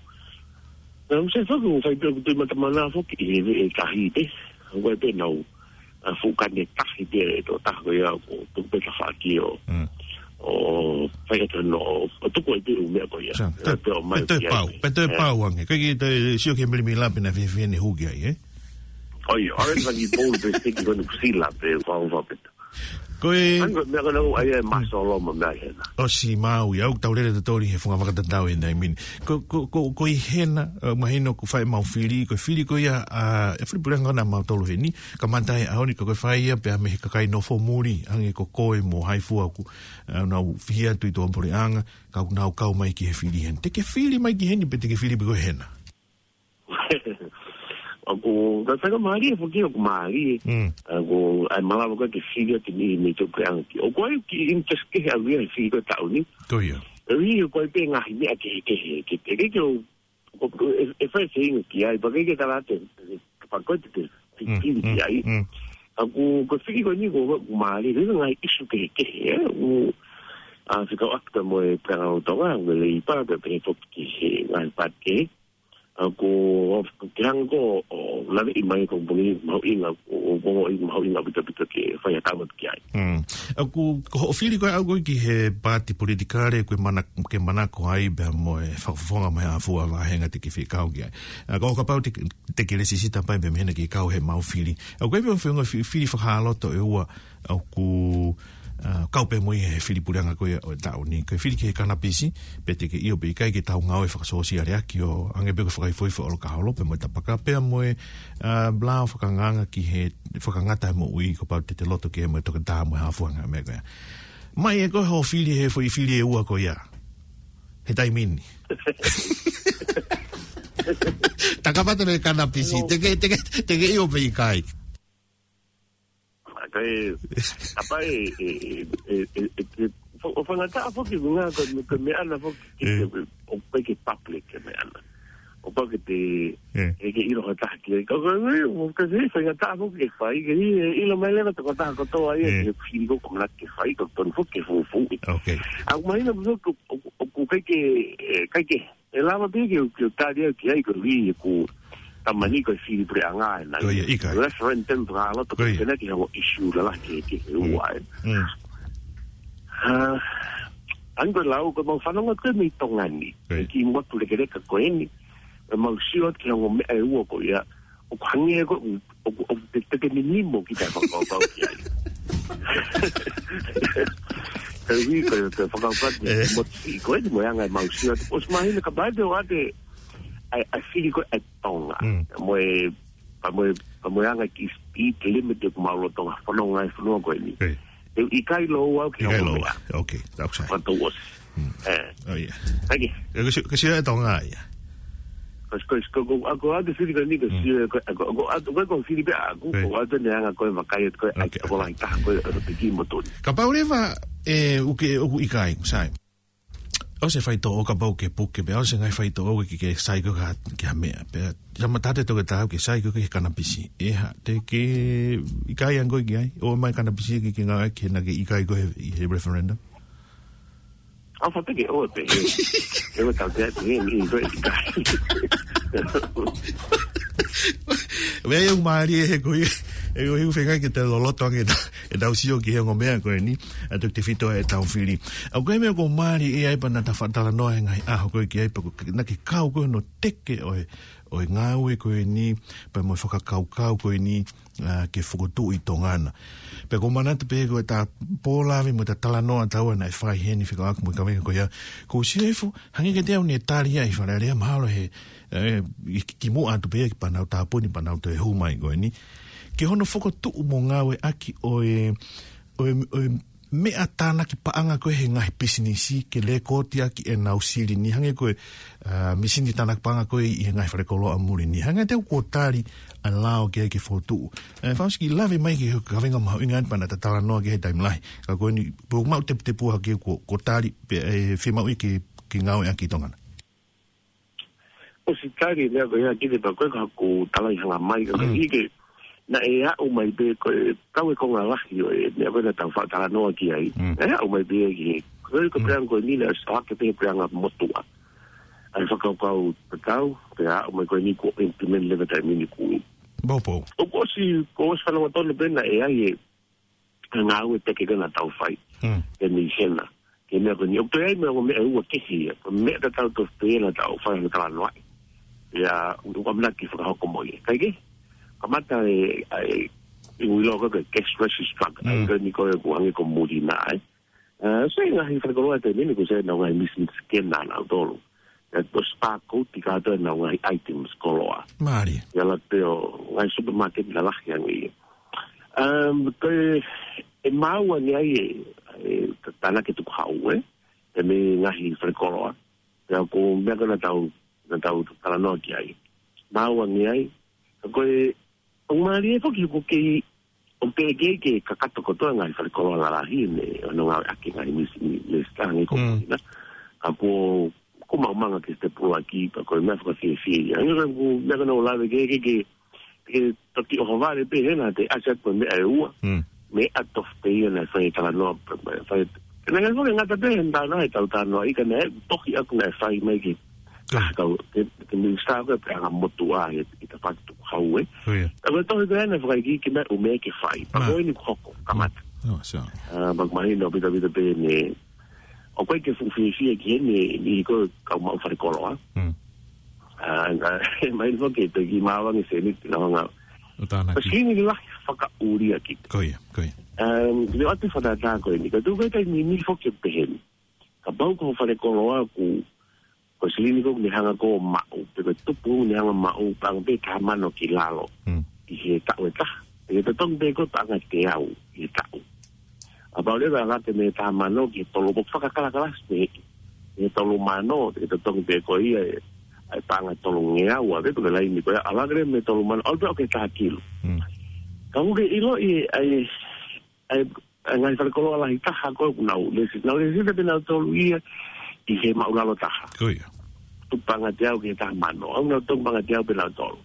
Naʻa ku saiʻia foki ʻo fai pē ʻoku Tuʻi Matamoana foki ʻi he veʻe tahi pē. ʻOku ʻi ai pē ʻenau, ā, fuʻu kane tahi pē ʻe toko taha ko ia ʻoku tuku pē tafaʻaki ʻo. Mm. ʻo fai atu hono, ʻo tuku ai pē ʻū meʻa ko ia. Sa, ʻe, toe, pea ʻomai pea toe ki ai pau, pē. Pea toe, ʻe, pau ange. Ko e kiʻi toe sio ki he milimili lape naʻe fie, fie ne hū ki ai, ē? ʻOi, ʻoua ʻe fai ki pō pē seki ko eni kuo sila pē, fau, fau pē. Ko e, ʻa ia ko e meʻa ko ena ʻoku ʻai ʻe Masolo mo e meʻa ʻi hena. ʻOsi Maui, ʻoku tau lele tautolu he funga fakatatau he taimi ni. Ko, ko, ko, ko e ʻi hena, ʻe, mahino ʻoku fai ʻemau fili, ko e fili ko ia, ʻa, ʻe fili puleʻanga ʻa mautolu heni, kamata he ʻaho ni, ka ko e fai ia pea mei he kakai nofo muli, hangē ko koe mo Haifua ʻoku, ʻa, nau fihia atu ʻi tuʻapuleʻanga, ka ʻoku nau kau mai ki he fili heni. Te ke fili mai ki heni, pe te ke fili pē koe hena? ʻOku, ka faingamālie foki ʻoku mālie. Mm. ʻOku, ʻai malava ko ē ke fili atu ni mei tuʻapuleʻanga ki. ʻOku ʻi ai e kiʻi interest kehe ʻaʻaku ia he fili ko ē taʻu ni. Ko ia. ʻOku ʻi ai pē ngaahi meʻa kehekehe, ke te ke ke ʻo, ʻo, ʻe, ʻe fai e feinga ki ai, pea ke ke tala atu, kapau ko ē te te, te, mm, fili ki ai. Mm. ʻOku, ko e fili ko eni ʻoku, ʻoku mālie, ko e ngaahi issue kehekehe, ē? ʻOku, ʻa, fekauʻaki pē mo e puleʻanga ʻo Tonga, mo e Leipa, pea pehē foki ki he ngaahi paati kehe. ʻOku, ʻoku ke hanga ʻo, ʻo laveʻi mai ko e puni mahuʻinga, ʻo, ʻo, ʻo, ʻo mahuʻinga ʻaupito ʻaupito ke fai ha tama ki ai. Mm. ʻOku, ko hoʻo fili ko ē ʻaʻaku ki he paati politikale, ko e mana-, ke manako ai pea mo e fakafofonga mo e ʻa fua vāhenga te ke fie kau ki ai. ʻA, ko kapau te, te ke lēsisita pē mei hena ke kau heʻemau fili. ʻOku ʻi ai pē ʻū feʻunga fi-, fili fakaeloto ʻe ua, ʻoku, ʻa, kau pē mo ia he fili puleʻanga ko ia ʻo e taʻu ni. Ko e fili ki he kanapisi, pe te ke ʻio pe ʻikai ke tau ngāue fakasōsiale ʻaki ʻo hangē pē ko e fakaifoifo ʻo e ʻolokaholo, pea mo e tapaka, pea mo e, ʻa, lao fakaangaanga ki he fakangata e moʻui, kapau te te loto ke mo e toketā mo e ʻa fua ngaahi meʻa ko ia. Mai ē ko hoʻo fili he foʻi fili ʻe ua ko ia. He taimi ni. Takapata mei he kanapisi, te ke, te ke, te ke ʻio pe ʻikai. ʻA, ka e, apa e, e, e, e, e, e, fo-, ʻo faingataʻa foki ngā ko, ko e meʻa ʻana foki, ʻe, ke, ʻo pehē ke public e meʻa ʻana. ʻO pau ke te, ʻe, ke ʻilo ha taha ki ai. Ka, ka, ʻe, ʻo ka se faingataʻa foki ke fai, ke ʻi, ʻe, ʻilo mai leva tokotaha kotoa ia, ʻe, ke fili ko e ʻamanaki ke fai, ko e tonu foki ke fufuuʻi. Ok. ʻA, mahino foki, ʻo, ʻo, ʻoku ʻikai ke, ʻe, ʻikai ke, ʻe lava pē ke, ke tali au ki ai ko e ʻuhi ʻoku tama ni ko e fili puleʻanga ʻena. Ko ia, ʻikai. Referendum pē ka loto ko ia. Ko e pehē ki he ongo issue lalahi ke, ke, ke ua ē. Mm. ʻA, ʻa ia ko e lau ko ʻemau fanongo ko ē mei Tonga ni. Ko ia. Kimuʻa atu lekeleka ko eni. ʻEmau sio atu ki he ongo meʻa ʻe ua ko ia. ʻOku hangē ko ē ʻoku, ʻoku te, te ke ninimo ki he fakakaukau ki ai. Ka ui ko e, ko e fakakaukau ki he, ʻe, motuʻi ko eni mo e anga ʻemau sio atu. ʻOsi mahino kapau te ʻoatu ʻa e, ʻa e fili ko ē ʻa Tonga. Mm. Mo e, pea mo e, pea mo e anga e kiʻi speed limit ʻoku mau lolotonga fononga he fonua ko eni. ʻE. ʻE ʻikai lōua au ki he ʻikai ongo lōua meʻa. Ok, that's right. Fakatau ʻosi. Mm. ʻE. ʻOi, ʻio. Thank you. ʻE, ko si-, ko sio ʻe Tonga ia. Ko si-, ko si-, ko, ko, ʻa ko ʻeku fili ko eni ko, mm, sio ʻe ko, ʻa ko, ʻa ko, ʻa ko, ko ʻeku fili pē ʻaʻaku, ʻe, ko ʻeku ʻoatu ʻene anga ko e vakai atu ko e, ok, ʻai tokolahi taha ko e, ʻo piki mo toni. Kapau leva, ʻe, ʻoku ke, ʻoku ʻikai, sai. ʻOsi e faitoʻo kapau ke puke, pea ʻosi e ngaahi faitoʻo ke, ke sai ko ē ki ha, ki ha meʻa. Pea, tama tate toke tau ke sai ko ē ki he kanapisi. ʻE hā, te ke ʻikai ange ko ē ki ai, ʻomai kanapisi ke, ke ngāueʻaki he naʻa ke ʻikai ko ē he, he referendum. ʻA, fai pē ke ʻoua pē, he, he ʻoua tau te atu, he, he, he, he, Meʻa ia ʻoku mālie he ko ia, he ko ia ʻoku feinga ke te loloto ange ʻeta, ʻetau sio ki he ongo meʻa ko eni, ʻa e tefito ʻetau fili. ʻA ko e meʻa ʻoku mālie ʻi ai pea naʻa ta faʻa talanoa he ngaahi ʻaho ko ē ki ai pea ko e, naʻa ke kau ko ē hono teke ʻo e, ʻo e ngāue ko eni, pea mo e fakakaukau ko eni, ʻa, ke fokotuʻu ʻi Tonga na. Pea ʻoku ou manatu pē ko ʻeta pō lave mo ʻeta talanoa taua naʻe fai heni fekauʻaki mo e kaveinga ko ia. ʻOku ou sio hifo, hangē kiate au naʻe tali ia ʻi Fale Alea mahalo he, ʻe, ʻi ki, kimuʻa atu pē ia ki Panau Tāpuni, Panau Toe Hū mai ko eni. Ki hono fokotuʻu mo ngāueʻaki ʻo e, ʻo e, ʻo e meʻa tānaki paʻanga ko ē he ngaahi pisinisi ke lēkooti ʻaki ʻenau silini hangē ko e, ʻa, misini tānaki paʻanga ko ē ʻi he ngaahi falekoloa muli ni. Hangē te u kuo tali ʻa e lao ki ai ke fokotuʻu. ʻE, Fausi, kiʻi lave mai ki he kaveinga mahuʻinga ʻeni pea naʻa ta talanoa ki ai he taimi lahi. Ka ko eni, pea ʻoku mau teputepu hake kuo, kuo tali, pea, ʻe, fiemaʻu ia ke, ke ngāueʻaki ʻi Tonga na. ʻOsi tali e meʻa ko ia ki te pea ko e ka ʻoku tala ʻi hanga mai ka, mm, ʻi ke, naʻe aʻu mai pē ko e, kau e konga lahi ʻo e, meʻa ko ē naʻa tau faʻa talanoa ki ai. Mm. Naʻe aʻu mai pē ki he, ko e, ko e, mm, puleʻanga ko eni naʻe ʻosi ʻohake pē he puleʻanga motuʻa. ʻA e fakakaukau tatau, pea aʻu mai ko eni kuo implement leva taimi ni kui. Poupou. ʻOku ʻosi, kuo ʻosi fanongo tonu pē naʻe ʻi ai e, ngāue teke ko ē naʻa tau fai. Mm. ʻE mei hena. Ke meʻa ko eni, ʻoku toe ʻi ai mo e ongo meʻa ʻe ua kehe ia. Ko e meʻa tatau tofu pē ia naʻa tau fai hano talanoaʻi. Ia, ʻoku ʻamanaki ke fakahoko mo ia. Kae kehe, kamata e, e, e ui loa ko e cash register truck. Mm. ʻA ia ko eni ko e ʻoku hangē ko e muli na, ē. Ē, so e ngaahi falekoloa he taimi ni kuo ʻosi ʻi ai ʻenau ngaahi machine scanner ʻanautolu. Ē, ko e barcode kātoa ʻenau ngaahi items koloa. Mālie. ʻI he ala pē ʻo e ngaahi supermarket lalahi ange ia. Um, ko e, ʻe maau ange ai e, e, ta-, tānaki tukuhau, ē? He mei he ngaahi falekoloa. Pea ko e meʻa ko ē naʻa tau, naʻa tau talanoa ki ai. Maau ange ai. Ka ko e, ʻoku mālie foki ʻoku kei, ʻoku teʻeki ke kakato kotoa e ngaahi falekoloa lalahi ʻene, ʻenau ngāueʻaki e ngaahi machine, machine scanner ko Mm. ena. Ka kuo, kuo maumau ange ke step ua ki, pea ko e meʻa fakafiefia ia. Hangē ko e, ko e meʻa ko ē naʻa ku lave ki ai, ke, ke, ke toki ʻohovale pē hena te ʻasi atu ko e meʻa ʻe ua. Mm. Meʻa tofu pē ia naʻe fai e talanoa, fai, fai. Ka naʻe ngata pē he talanoa, he tau talanoaʻi ka naʻe tohi ʻaki naʻe fai mai ke, Ka. ah, kau, ke, ke minisitā ko ē puleʻanga motuʻa he, he tafaʻaki tukuhau, ē. Ko ia. Ka ko e tohi ko ē naʻe fakaikiiki mai ʻoku meʻa ke fai. Pea Ma. ko eni kuo hoko, kamata. Oh, so. Ah, pea ʻoku mahino ʻaupito ʻaupito pē ʻene, ʻoku ʻikai ke fuʻu fiefia ki heni, ʻi he ko e kau maʻu falekoloa. Mm. Ah, ka, mahino foki ʻe toe kiʻi maau ange e seniti naʻa nau hanga ʻo tānaki. Ko e silini lahi fakaʻulia ki. Ko ia, ko ia. Um, leo atu fakatātā ko eni. Ka tuku e taimi ni foki ʻoku pehē ni. Kapau ko e falekoloa ʻoku, ko e silini ko ē ʻoku ne hanga ko ē ʻo maʻu, pe ko e tupu ʻoku ne hanga ʻo maʻu, paʻanga pē taha mano ki lalo. Mm. ʻI he taʻu ʻe taha. ʻE totongi pē ko e paʻanga ʻe teau ʻi he taʻu. Kapau leva ʻe laka mei he taha mano ki he tolu, ʻoku fakakalakalasi pē ʻi he tolu mano, ʻe totongi pē ko ia e, e paʻanga ʻe tolungeau, ʻa ia ko e laini ko ia, ʻe laka leva mei he tolu mano, ʻalu pē ʻo aʻu ki he taha kilu. Mm. Ka ʻoku ke ʻiloʻi e, e, e, e ngaahi falekoloa lahi taha ko ē ʻoku nau lesi, nau lesi pē nautolu ia ʻi he maʻulalo taha. Ko ia. Tupu paʻanga ʻe teau ki he taha mano, ʻoku nau tupu paʻanga ʻe teau pē nautolu.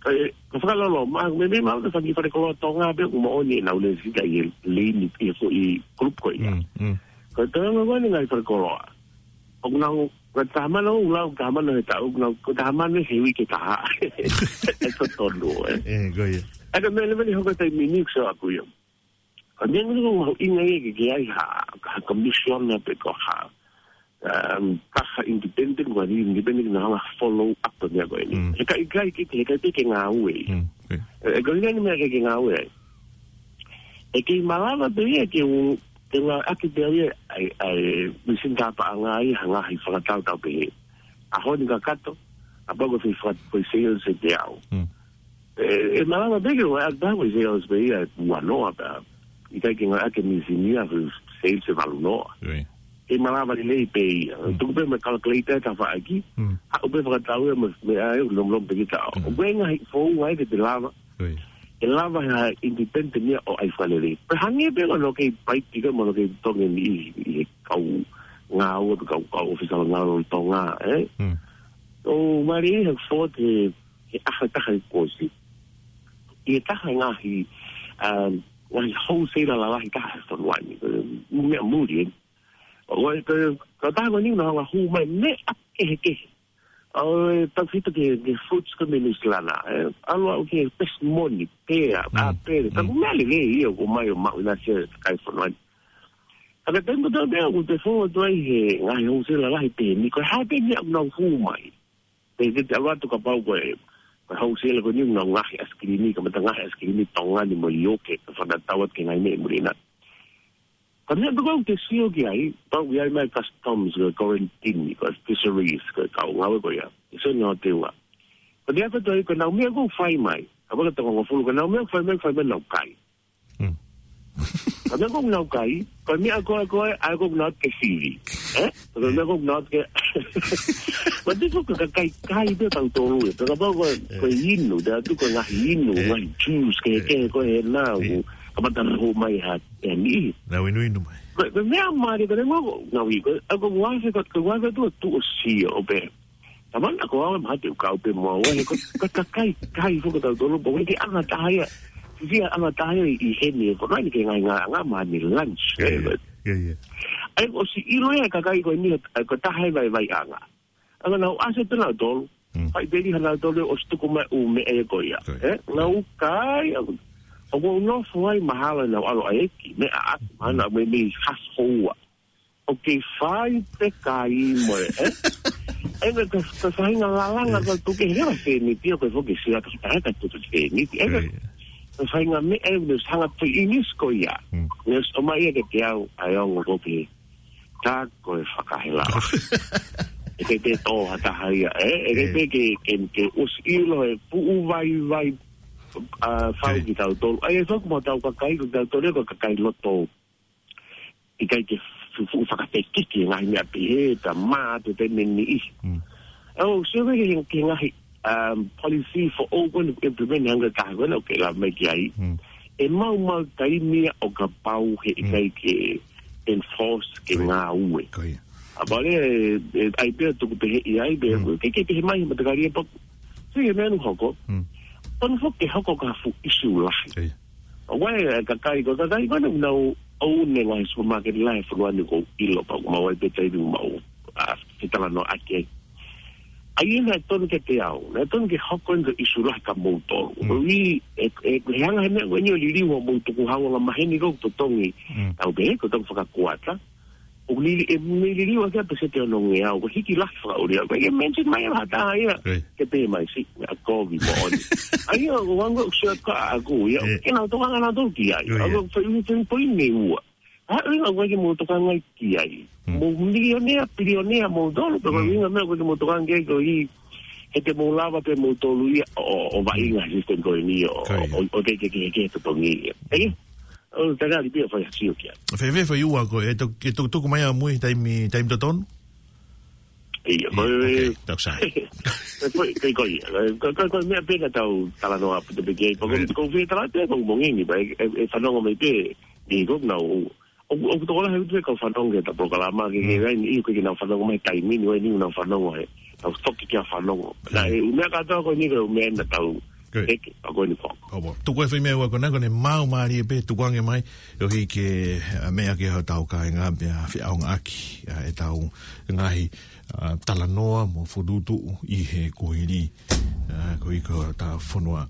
Ka e, ka fakalolo, ma, meimei maʻu e fanga kiʻi falekoloa Tonga pē ʻoku moʻoni ʻenau lesi ʻi he laini, ʻi he foʻi kulupu ko ia. Mm, mm. Ka ʻi he taimi ko eni e ngaahi falekoloa. ʻOku nau, ko e taha mano, ʻoku lau taha mano he taʻu, ʻoku nau, ko e taha mano he uike ʻe taha. ʻE totonu, ē. Ē, ko ia. ʻA ia ko e meʻa leva ni hoko he taimi ni ʻoku ou sio ʻaku ia. Ko e meʻa ni ʻoku mahuʻinga ia ke, ke ʻi ai ha, ha commissioner pe ko ha, um, taha independent, ko e independent naʻa nau follow up e meʻa ko eni. Mm. He ʻikai, ʻikai ke, he ʻikai ke ngāue. Mm, ē. Ē, ē, ko e ʻuhinga eni e meʻa ʻikai ke ngāue ai. ʻE kei malava pē ia ke u, ke ngāueʻaki pē ia ʻa e, ʻa e, machine tā paʻanga ia ha ngaahi fakatau tau pehē. ʻAho ni kakato, kapau ko e fai faka-, ko e sales ʻe teau. Mm. ʻE, ʻe malava pē ke ngāueʻaki pē ko e sales pē ia ʻe ua noa pē. ʻIkai ke ngāueʻaki e machine ia ko e sales ʻe valu noa. Ui. ʻE malava lelei pē ia. Mm. Tuku pē mo e calculator he tafaʻaki. Mm. Haʻu pē fakatau ia mo e, mo e ʻai, lom lom pē ki taʻo. Mm. ʻOku ʻi ai e ngaahi founga ia ke te lava. Ui. ʻE lava ha independent ia ʻo ʻai fakalelei. Pea hangē pē ko hono kei paiki ka mo hono kei totongi ʻi, ʻi he kau ngāue pe kau, kau ʻōfisa ngāue ʻo Tonga, ē? Mm. ʻO mālie he fō te, he ʻaho ʻe taha kuo ʻosi. ʻI he taha e ngaahi, um, ngaahi wholesaler lalahi taha he fonua ni. Meʻa muli, ē? ʻO, ʻo, ko, ko e taha ko eni naʻa nau hanga ʻo hū mai meʻa kehekehe. ʻO, ē, tau fito ki he, ki he fruits ko ē mei Nuʻu Sila na, ē, ʻalu ʻo aʻu ki he pesimoni, pea, Mm. ʻāpele. Ka Mm. ko e meʻa lelei ia ʻoku ʻomai ʻo maʻu ʻi he kakai fonua ni. Ka ko e taimi kotoa pē ʻoku te fou atu ai he ngaahi wholesaler lalahi pehē ni, ko e hā pē meʻa ʻoku nau hū mai. Pea te te ʻalu atu kapau ko e, ko e wholesaler ko eni ʻoku nau ngaahi ʻaisikilimi, kamata ngaahi ʻaisikilimi Tonga ni mo ʻIuke, ka fakatatau atu ki he ngaahi meʻa ʻi muli na. Ka ko e meʻa pē ko ē ʻoku te sio ki ai, pau ʻi ai mai customs, ko e quarantine, ko e fisheries, ko e kau ngāue ko ia. ʻE sio ʻenau teunga. Ko e meʻa ko ē ʻoku ʻi ai ko ʻenau meʻa ʻoku fai mai. Kapau ko e toko hongofulu ko ʻenau meʻa ʻoku fai mai, fai mai ʻenau kai. Mm. Ko e meʻa ʻoku nau kai, ko e meʻa ko ē, ko ē, ʻa ē ʻoku nau ke sivi. Ē? Ko e meʻa ʻoku nau ke. Ko e tiko ko e kakai kai pē tautolu ē. Pea kapau ko e, ko e inu, te atu ko e ngaahi inu, ngaahi juice, ke, ke, ko e nau. Kamata ʻo hū mai ha, ʻe ni. Nau inuinu mai. Ko, ko e meʻa mālie, ko e ngaahi, ngaahi, ko, ʻa ko e ngaahi, ko, ko e ngaahi tu, tu ʻo sio, ʻo pē. Kamata ko au ʻe mahalo te u kau pē mo au, he ko, ko e kakai, kai foki tautolu, pea ko e anga taha ia. Fia anga taha ia ʻi heni, ko e ngaahi ke ngaahi ngaahi anga mahalo ni lunch, Ia, ē, ia, but ia, ia. ʻA ia ʻosi ʻilo ia kakai ko eni, ʻa ia ko e taha e vaivaiʻanga. ʻA ia naʻa nau ʻasi pē nautolu. Mm. Fai pē lī ha nautolu ʻosi tuku mai ʻū meʻa ia ko ia. Ko ia. Ē? Naʻa nau kai, ʻa ia, ʻoku ou nofo ai mahalo naʻa nau ʻalu ʻo ʻai e kiʻi meʻa ʻaʻaku, mahalo naʻa mei, mei hasi houa. ʻOku fai pē kai mo e, ē? ʻE, ka, ka faʻahinga lalanga ka tuke he wa fēniti, ʻoku foki sia ka, ka, ka tuke fēniti. ʻE, ka, ka faʻahinga meʻa, ʻe, ne hanga pē ʻi Inisi ko ia. Ne ʻomai ia ke te au, ʻa e ongo ko pē. Tā ko e fakahela. ʻE, ke te tō ha taha ia, ʻe? ʻE, ke te ke, ke, ke ʻosi ʻilo e puʻu vai, vai, ʻa, fau ki tautolu. ʻAi, e foki mo tau kakai, ko tautolu, ko kakai loto. ʻIkai ke fuʻu fakafekiki ngaahi meʻa pehē, ta mā, te te meni ʻi. ʻO, se veke he, ke ngaahi, um, policy foʻou ko eni implement hanga taha ko ena, ʻoku ke lava mai ki ai. ʻE mau mau taimi ia ʻo kapau he ʻikai ke enforce ke ngāue. Ko ia. ʻA pale, e, e, ʻai pea tuku pehē ʻi ai, pea, ke, ke pehē mai, matakari e paku. Se ke menu hoko. Tonu foki ke hoko ka fuʻu issue lahi. Ko ia. ʻO wai, e kakai, ko e kakai, ko ena nau ʻoune ngaahi supermarket lahi he fonua ni ʻoku ou ʻilo pau, mau ai pē taimi mau, ʻa, fetalanoaʻaki ai. ʻAi ena ʻe tonu ke te au, naʻe tonu ke hoko ena ko e issue lahi kia moutolu. Ko e, e, e, he hanga he meʻa ko eni ʻo liliu ʻo mou tukuhau anga maheni ko totongi. Au pē, ko tong fakakuata. ʻO lili, e, ne liliu ake ʻa pēseti ono ngeau, ko e hiki lahi fakaʻuli au. Ko e mention mai ʻe ha taha ia, ke pehē mai si, ʻa kovi moʻoni. ʻAi ia, ʻo wango ʻoku sio ka aku ia, ke nau tokanga nautolu ki ai. ʻA ko fai ui teni poini ua. ʻA ui ʻa ko ke mou tokanga ki ai. Mou milionea, pilionea moutolu, pe ko e ui ngaahi meʻa ko ke mou tokanga ki ai ko ʻi, he te mou lava pē moutolu ia, ʻo, ʻo, ʻo vaʻinga he system ko eni, ʻo, ʻo, ʻo te ke, ke, ke totongi ia. ʻE? ʻO, tangari pia fai sio kia. Fēfē fai ua ko e, e to-, e to-, tuku mai ʻamui taimi, taimi totonu? Ia, ko e, okay, tau sai. Ko e, ko e, ko e, ko e, ko e, ko e meʻa pē ka tau talanoa ʻaupito pē ki ai. Ko e, ko e fie tala pē, ko e mongi ni, pea e, e, e fanongo mai pē, ni ko nau, ʻo, ʻo, ʻo tokolahi ʻaupito pē ka fanongo ki he ta polokalama, ke, ke, ʻi, ko e ke nau fanongo mai taimi ni, ʻo e ni nau fanongo he, nau toki kia fanongo. Naʻe, ʻū meʻa kātoa ko eni ko e ʻū meʻa na tau, Good. Eke, a ko eni foki. ʻO, tuku e fai meʻa ua ko ena ko ʻene maau mālie pē tukuange mai, ʻo hiki, ʻa, meʻa ki hotau kāinga pea feʻaongaʻaki, ʻa, ʻetau ngaahi, ʻa, talanoa mo fokotuʻutuʻu ʻi he kuohili, ʻa, ko ē ko hotau fonua.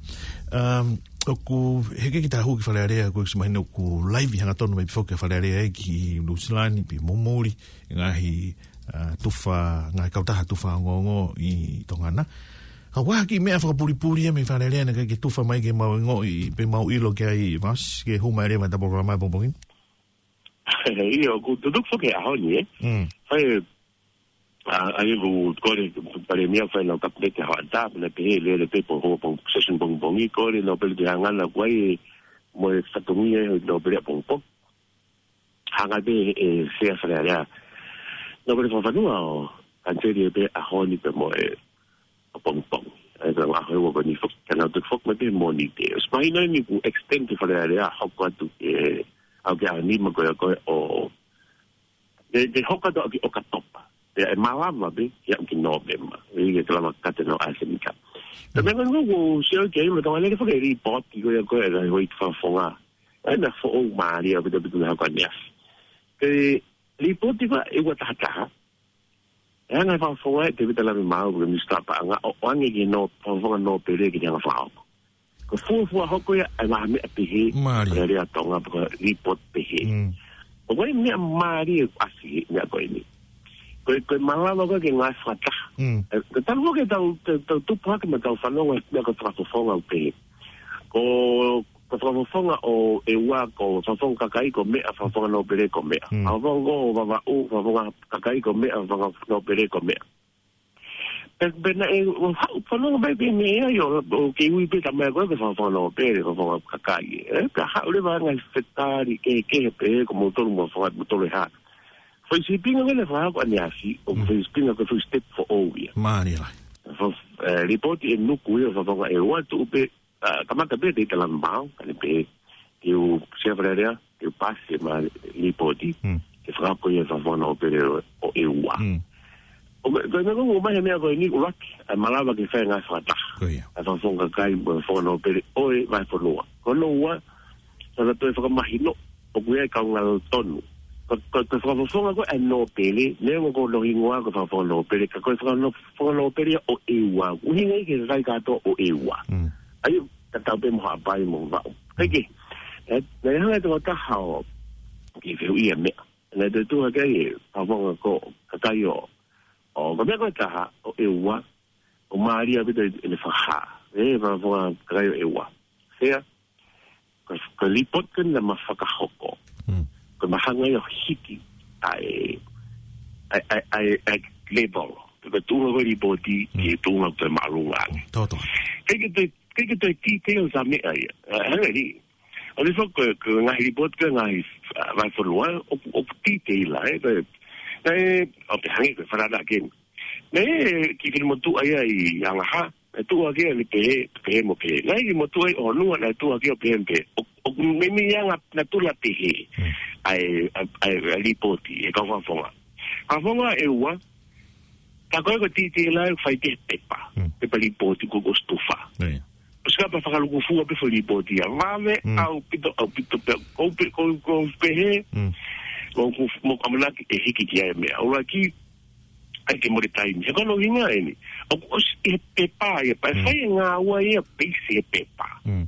Um, ʻoku, he ke kita hū ki Fale Alea, ko e mahino ʻoku laivi hangatonu mai pē foki ʻa Fale Alea ē ki Nuʻusila ni, pea mo muli, ngaahi ʻa, tufa, ngaahi kautaha tufa ongoongo ʻi Tonga na. Ka ʻoku ʻi ai ha kiʻi meʻa fakapulipuli ia mei Fale Alea naʻe ʻikai ke tufa mai ke mau ongoʻi, pe mau ʻilo ki ai, Vas, ke hū mai leva he ta polokalama pongipongi ni. Ia, ʻoku tutuku foki he ʻaho ni, ē? Mm. Fai, ʻa, ʻa ia ʻoku kole, Palēmia fai ʻenau kapineti he hoʻatā, pea naʻe pehē lele pē pe ko e hoko pong-, session pongipongi, kole nōpele pē hangē ko ia, mo e fatongia ʻo e nōpele ʻapongipongi. Hanga pē ʻe he Sea Fale Alea, nōpele fakafanua ʻo kaniseli pē ʻaho ni pea mo e ʻapongipongi. ʻA ia ko e ʻaho ʻe ua ko eni foki, ka nau toki foki mai pē Mōnite. ʻOsi mahino eni kuo extend ki Fale Alea, hoko atu ke, ʻalu ki he ʻaho nima ko ia ko ē ʻo, ke, ke hoko atu ʻo aʻu ki ʻOkatopa. Pea ʻe malava pē, ke aʻu ki Nōvema. ʻE ʻikai ke lava kate nau ʻa e Senita. Ka meʻa ko eni ʻoku ou sio ki ai, mo tau lele foki e lipooti ko ia ko ē, ʻa e houʻeiki fakafofonga. ʻA ia naʻe foʻou mālie ʻaupito ʻaupito he ʻaho ko eni ʻaneafi. Ko e lipooti ko ē ʻe ua taha taha. ʻE hanga ʻe he fakafofonga ʻe Tēvita Lāvemaau, ko e Minisitā Paʻanga, ʻo, ʻo ʻoange ki he nō-, fakafofonga nōpele ke ne hanga ʻo fakahoko. Ko e fuofua hoko ia ʻa e ngaahi meʻa pehē. Mālie. Fale Alea Tonga, pe ko e lipooti pehē. Mm. ʻOku ʻi ai e meʻa mālie ʻoku ʻasi he meʻa ko eni. Ko e, ko e malava ko ē ke ngāue fakataha. Mm. ʻE, ko e talu ko ē ke tau, tau, tau tupu hake mo tau fanongo he meʻa ko e fakafofonga ʻoku pehē. Ko, ko e fakafofonga ʻo ʻEua ko e fakafofonga kakai ko meʻa, fakafofonga nōpele ko meʻa. Mm. Fakafofonga ko Vavaʻu, fakafofonga kakai ko meʻa, fakafofonga nōpele ko meʻa. Pea, pea naʻe, ʻo haʻu fanongo mai pē meʻa ia, ʻo, ʻo ke ui pē tamai ko ē, ko e fakafofonga nōpele, fakafofonga kakai. Ē, pea haʻu leva ngaahi fetali kehekehe pē, ko moutolu mo fakamoutolu ʻe hā. Foʻi sīpinga ko ē naʻe fakahoko ʻaneafi, ʻoku foʻi sīpinga ko e foʻi step foʻou ia. Mālie lahi. Fo-, ē, lipooti ʻe nuku ia, fakafofonga ʻEua tuʻu pē, ʻa, kamata pē ʻe Tēvita Lāvemaau, ka ne pehē, ke u Sea Fale Alea, ke u paasi ʻema lipooti, ke fakahoko ia e fakafofonga nōpele ʻo, ʻo ʻEua. ʻO me-, ko e meʻa ko ē ʻoku ʻomai he meʻa ko eni ʻuluaki, ʻa e malava ke fai e ngāue fakataha. Ko ia. ʻA e fakafofonga kakai mo e fakafofonga nōpele ʻo e vahefonua. Ko hono ua, naʻa na toe fakamahino, ʻoku ʻi ai e kaungā tonu. Ko, ko, ko e fakafofonga ko ē ʻa e nōpele, neongo ko hono hingoa ko e fakafofonga nōpele, ka ko e fakano-, fakafofonga nōpele ia ʻo ʻEua. ʻUhinga ia ki he kakai kātoa ʻo ʻEua. Mm. ʻA ia, tatau pē mo Haʻapai mo Vavaʻu. Kae kehe, ē, naʻe hanga ʻe he tokotaha ʻo, ke fehuʻia e meʻa. Naʻe tuʻu hake ai e fakafofonga ko e kakai ʻo, ʻo, ko e meʻa ko e taha, ʻo ʻEua, ʻoku mālie ʻaupito ʻene fakahā. ʻE, fakafofonga kakai ʻo ʻEua. Sea, ko, ko e lipooti ko eni naʻa ma fakahoko. Mm. Ko e ma hanga ia ʻo hiki ʻa e, ʻa e, ʻa e, ʻa e, ʻa e level. Ko e tuʻunga ko e lipooti, Mm. ki he tuʻunga ko e māʻolunga ange. Totally. Kei ke toe, kei ke toe titei ʻo sa meʻa ia. ʻA, hanga ni. ʻO ne fo ko, ko e ngaahi lipooti ko e ngaahi, ʻa, vahefonua, ʻoku, ʻoku titei la, ē, ko e, naʻe, ʻo pehē ange ko e fanana ke. Naʻe, ki, ki motuʻa ia ʻi Angaha, naʻe tuʻu hake ʻo ne pehē, pehē mo pehē. Naʻe ki motuʻa ʻi ʻOhonua, naʻe tuʻu hake ʻo pehē mo pehē. ʻO, ʻo meimei anga natula pehē. Mm. ʻA e, ʻa e, ʻa e, ʻa e lipooti, ʻe kau fakafofonga. Fakafofonga ʻEua, tā ko ē ko e titei la ʻe fai ki he pepa. Mm. Pepa lipooti ko, ko e stufa. ʻIo. ʻOsi ka pa fakalūkufua pē foʻi lipooti ia. Vave Mm. ʻaupito, ʻaupito pē, ʻoku ou pe-, ʻoku ou, ʻoku ou pehē, Mm. ʻoku ou, mo ka manaki ʻe hiki ki ai e meʻa. ʻUluaki, ʻai ke mole taimi. He ko hono ʻuhinga eni. ʻOku ʻosi ʻi he pepa ia, pea Mm. fai e ngāue ia peisi he pepa. Mm.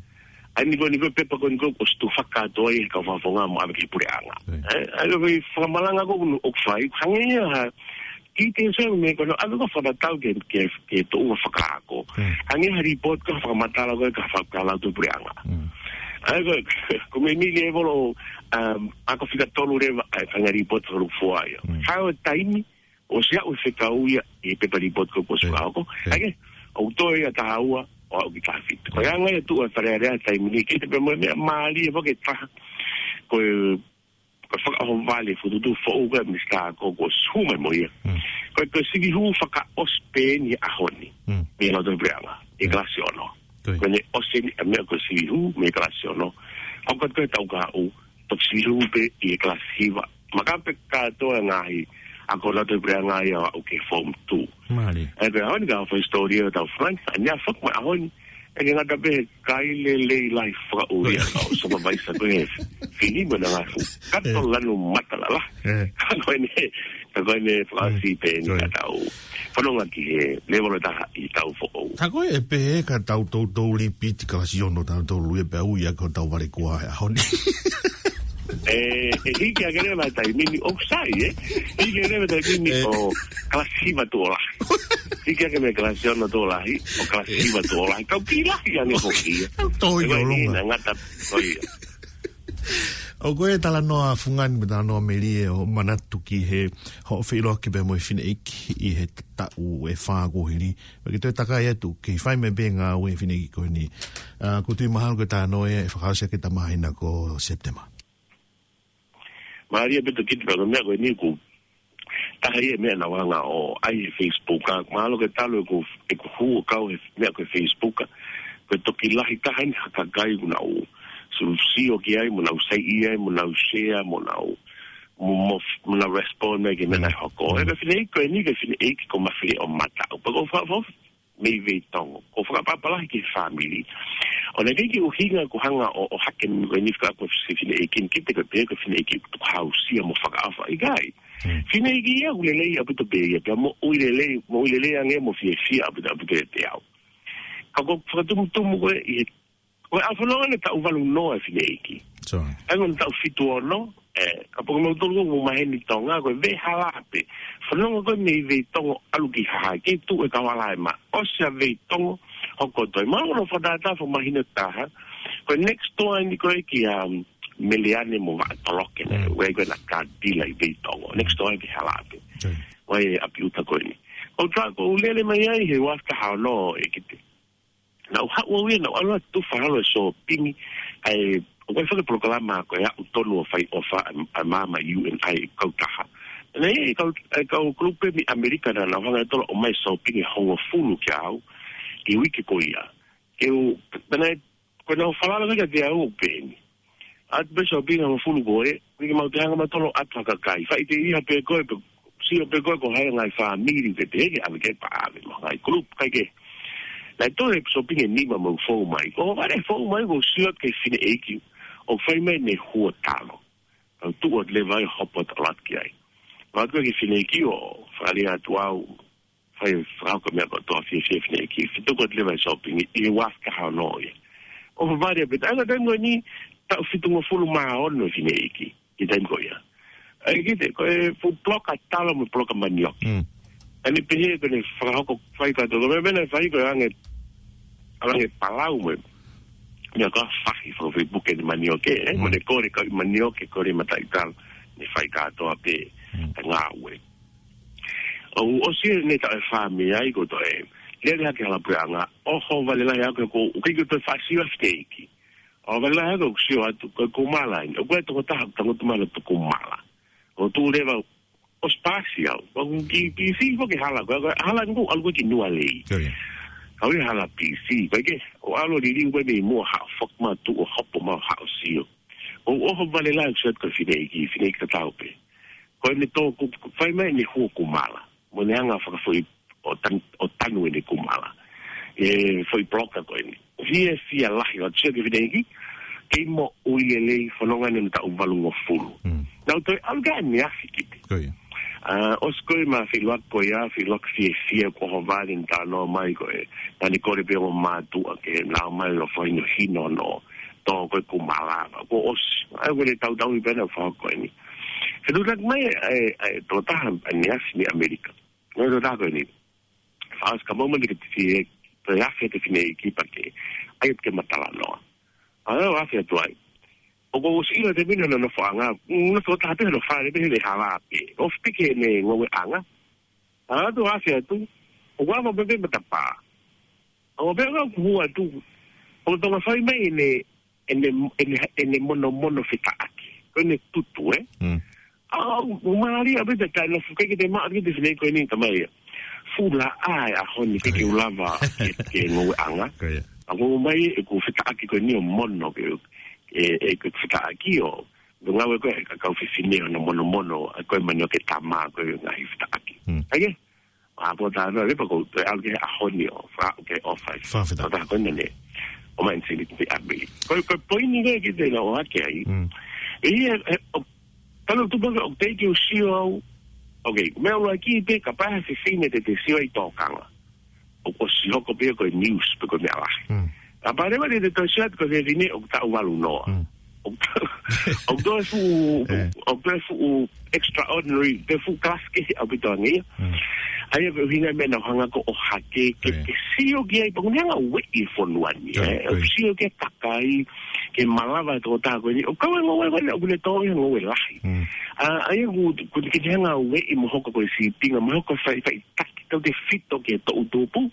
ʻAi ni ko eni ko e pepa ko eni ko e stufa kātoa ʻi he kau fakafofonga mo ʻave ki he puleʻanga. Mm. ʻE, ʻai ko e fakamalanga ko ē ʻoku fai, hangē ia ha, ki he titei sa meʻa ko ena, ʻave ko e fakatatau ki he, ki he, ki he tuʻunga fakaako. Mm. Hangē ha lipooti ko e fakamatala ko ē ka fakalau ki he puleʻanga. Mm. ʻAi ko, ko e meimei level ʻo, um, ako fika tolu leva, ʻa e, ʻa e ngaahi lipooti fakalūkufua ia. Mm. Hao e taimi, ʻosi aʻu e fekau ia ʻi he pepa lipooti ko ē ʻoku ʻosi Mm. fakaako. Mm. ʻAi ke, ʻoku toe ia taha ua, ʻo aʻu ki he taha fitu. Ko e Mm. anga ia tuʻu ʻa e Fale Alea he taimi ni, ke te pē mo e meʻa mālie foki e taha. Ko e, ko e fakaʻohovale fokotuʻutuʻu foʻou ko ē ʻa Minisitā ko ē kuo ʻosi hū mai mo ia. Mm. Ko e, ko e sivi hū fakaʻosi pē eni he ʻaho ni. Mm. Mei he Lautohi Puleʻanga, ʻi he Mm. kalasi ono. Ko ia. Ko ʻene ʻosi eni ʻa e meʻa ko e sivi hū mei he kalasi ono. Hoko atu ko ē he taʻu kahaʻu, toki sivi hū pē ʻi he kalasi hiva. Maka pē kātoa e ngaahi ako Lautohi Puleʻanga ia ʻo aʻu ki he Form Two. Mālie. ʻE, pea ʻaho ni ka fai hisitōlia ʻo tau fanga, ʻa eni ʻa e fak mai ʻaho ni. ʻE ke ngata pē he kai lelei lahi fakaʻulia ʻo supervisor ko ē he fili mo e ngaahi fuʻu kato ʻE. lanu matalala. ʻE. Ka ko eni, ka ko eni fakaʻosi Mm. pē eni Ko ia. ka tau fanongo ki he level ʻe taha ʻi he taʻu foʻou. Ka ko e pehē ka tau toutou lipiti kalasi ono tautolu ia pea ui ʻa ko tau vale kuo ʻi he ʻaho ni. ʻE, ʻe hiki hake leva e taimi ni ʻoku sai, ē? Hiki hake leva e taimi ni ʻE. ʻo kalasi hiva tuʻo lahi. Hiki hake mei he kalasi ono tuʻo lahi, ʻo kalasi hiva tuʻo lahi. Kau kiʻi lahi ange foki ia. Tau toi ʻE, ko eni ʻolunga. naʻe ngata, ko ia. ʻOku ʻi ai e talanoa fungani mo e talanoa melie ʻo manatu ki he hoʻo feʻiloaki pea mo e fineʻeiki ʻi he taʻu ʻe fā kuo hili. Pea ke toe takai atu, ke fai mai pē ngāue e fineʻeiki ko eni. ʻA, ʻoku ou tui mahalo ko e talanoa ia ʻe fakaʻosi ʻaki he māhina ko Sepitema. Mālie ʻaupito ki he pea ko e meʻa ko eni ʻoku taha ia e meʻa naʻa ku hanga ʻo ʻai he Facebook, ka mahalo ke talu ʻeku, ʻeku hū ʻo kau he meʻa ko e Facebook. Ko e toki lahi taha eni ha kakai ʻoku nau sio, sio ki ai, mo nau saiʻia ai, mo nau share, mo nau, mo, mo, mo nau respond mai ki he meʻa Mm. naʻe hoko. Mm. ʻE ko e fineʻeiki ko eni, ko e fineʻeiki ko Mafileʻo Mataʻu. Pea ko fa-, fa-, mei Veitongo. Ko e fakaʻapaʻapa lahi ki he fāmili. ʻO naʻe ʻikai ke ʻuhinga ʻeku hanga ʻo, ʻo hake mei ko eni fika ko e fineʻeiki ni, ke te ko e pehē ko e fineʻeiki ʻoku hausia mo fakaʻofa, ʻikai. Mm. Fineʻeiki ia ʻoku lelei ʻaupito pē ia, pea moʻui lelei, moʻui lelei ange mo fiefia ʻaupito, ʻaupito ʻiate au. Ka ko e fakatumutumu ko ē ʻi he, ko e ʻalu fanongo ʻene taʻu valu noa e fineʻeiki. Sure. ʻAi ko ʻene taʻu fitu ono, ʻe, ka poko mau tolu ko e maheni Tonga, ko e veʻe hala pē. Fanongo ko ē mei Veitongo ʻalu ki Haʻapai, kei tuʻu e kau hala ʻe mā. ʻOsi ʻa Veitongo, hoko atu ai. Mahalo ko hono fakatātā fakamahino taha. Ko e next door eni ko ē kia, um, Meleane mo Vaʻatoloke, naʻe Mm. ʻi ai ko ē ʻena car dealer ʻi Veitongo. Next door ki he hala pē. Mm. ʻI ai e ʻapi ʻuta ko eni. ʻOku ou tā, ʻoku ou lele mai ai he ua afe taha ono ʻe kite. Naʻa ku haʻu au ia, naʻa ku ʻalu atu ʻo fai ha shopping, ʻa e, ʻoku ʻi ai e fanga polokalama ko ē ʻoku tonu ʻo fai ʻofa ʻa, ʻa e maama U N I kautaha. Naʻe ʻi ai e kau, e kau kulupu mei ʻAmelika naʻa nau hanga ʻe tolo ʻo ʻomai shopping ʻe hongofulu kia au, ʻi he uike ko ia. Ke u, pea naʻe, ko ʻenau falala ko ē kiate au ʻoku pehē ni. ʻAtu pē shopping ʻe hongofulu ko ē, ʻikai ke mau toe hanga mautolu ʻo ʻatu ha kakai. Faʻiteliha pē koe, pe sio pē koe ko hai e ngaahi fāmili ke te ke ʻave ki ai pea ʻave mo e ngaahi kulupu, ʻikai ke. Naʻe toe shopping ʻe nima mo fou mai. Ko e vale fou mai, ʻoku ou sio ki he fineʻeiki ʻoku fai mai ʻene huo talo. Kau tuʻu atu leva ai ʻo hopo atu ʻo ʻalu atu ki ai. Ua atu ki he fineʻeiki ʻo fakaʻalia atu au, fai fakahoko e meʻa kotoa, fiefia e fineʻeiki. Fetuku atu leva e shopping ʻi he ua afe taha ono ia. ʻOfa vale ʻaupito, ʻa e taimi ko eni, taʻu fitungofulu mā ono e fineʻeiki ʻi he taimi ko ia. ʻAi kiʻi te, ko e fuʻu puloka talo mo e puloka manioke. Mm. ʻA eni pehē ko ʻene fakahoko fai kātoa, ko e meʻa naʻe fai ko e ange, ange palau mo e meʻa ko ē fahi faka-Facebook ʻene manioke, ē? Mm. Mo ʻene kole kau manioke, kole mataʻitalo, ne fai kātoa pē, mm, ʻa e ngāue. ʻO ʻosi ʻene taʻu ʻe fā mei ai ko e toe lele hake hala puleʻanga, ʻohovale lahi ʻaku ko, ʻoku ʻikai ke toe faʻa sio ʻa e fineʻeiki. ʻOhovale lahi ʻaku ʻoku sio atu, ko e kumala eni. ʻOku ʻi ai e tokotaha, tangutu mala tu kumala. ʻO tuʻu leva, ʻosi pasi au. ʻOku ki P C, ko e hala, ko e hala ʻoku ʻalu ko ē ki Nualei. Ko ia. Kau ia hala P C, ko e ke, ʻo ʻalu liliu ko ē mei muʻa haʻu, foki mai tuʻu ʻo hopo mai haʻu ʻo sio. ʻO ʻohovale lahi ʻoku sio atu ko e fineʻeiki, fineʻeiki tatau pē. Ko ʻene tō, ko, ko fai mai ʻene hua kumala. Mo ʻene anga fakafoʻi ʻo tan-, ʻo tanu ʻene kumala. ʻE foʻi puloka ko eni. Fiefia lahi ʻo sio ki he fineʻeiki, kei moʻui lelei, fononga ʻene taʻu valungofulu. Mm. Naʻa ku toe ʻalu ki ai ʻaneafi kiʻi te. Ko ia. ʻA, ʻosi ko ē ʻema feʻiloaki ko ia, feʻiloaki fiefia kuo ʻohovale ʻene talanoa mai ko ē. Naʻa ne kole pē ʻo mātuʻa ke nau ō mai ʻo fakahinohino hono tō ko ē kumala. Kuo ʻosi. ʻA ia ko ʻene tautau i pena fao ko eni. Fetuʻutaki mai ʻa e, ʻa e tokotaha ʻaneafi mei ʻAmelika. Ko e tokotaha ko eni. Fakaʻosi ka mau mani ke te fie, toe afe te fineʻeiki pea ke, ʻai atu ke ma talanoa. ʻA ia ʻo afe atu ai. ʻOku ou ʻosi ʻilo te mine hono nofoʻanga, nofo taha pē hono fale pē he hala pē. ʻOfi pē ke ne ngoueʻanga. ʻA ia ʻo afe atu. ʻOku ava pē pē matapā. ʻO pea ʻoku hua atu. ʻO tonga fai mai ʻene, ʻene, ʻene, ʻene monomono fetaʻaki. Ko ʻene tutu, ē? Mm. ʻA, ʻo, ʻo mālie ʻaupito taʻe nofo ʻikai ke te maʻu ʻikai te fineʻeiki ko eni tamai ia. Fuʻu laʻā e ʻaho ni ʻikai ke u lava ke, ke ngoueʻanga. Ko ia. ʻA, ko mai ʻeku fetaʻaki ko eni ʻo mono ke, e, e, ke fetaʻaki ʻo. Ko e ngāue ko ē ʻa e kau fefine hono monomono, ʻa ko e manioke tama ko e ngaahi fetaʻaki. Mm. ʻA ia? ʻA, ko tā noa, lepa ko, te ʻalu ki he ʻaho ni ʻo, fa, ke ʻofa. Fakafetaʻi. Ko tā ko ena ne. ʻO mai ʻene sini ki te ʻapi. Ko, ko e poini ko ē kiʻi te nau ʻohake ai. Mm. ʻE ia, e, ʻo, tano tupu ke, ʻoku teʻeki ke u sio au. Ok, meʻa ʻuluaki pē, kapau ha fefine te te sio ai tōkanga. ʻOku ʻosi hoko pē ko e news, pe ko e meʻa lahi. Mm. Kapau leva te te toe sio atu ko e fefine, ʻoku taʻu valu noa. Mm. ʻOku, ʻoku toe fuʻu, ʻoku, ʻoku toe fuʻu extraordinary, toe fuʻu class kehe ʻaupito ange ia. Mm. ʻA ia ko e ʻuhinga meʻa naʻa ku hanga ko ē ʻo ʻohake, ke, ke sio ki ai, pea ʻoku ne hanga ueʻi e fonua ni, ʻe. ʻOku sio ki he kakai, ke malava e tokotaha ko eni, ʻoku kau e ngoue ko eni, ʻoku ne tō e ngoue lahi. Mm. ʻA, ʻa ia ʻoku, ʻoku ne hanga ueʻi mo hoko ko e sīpinga, mo hoko fai, faʻitaki, tautefito ki he toʻutupu,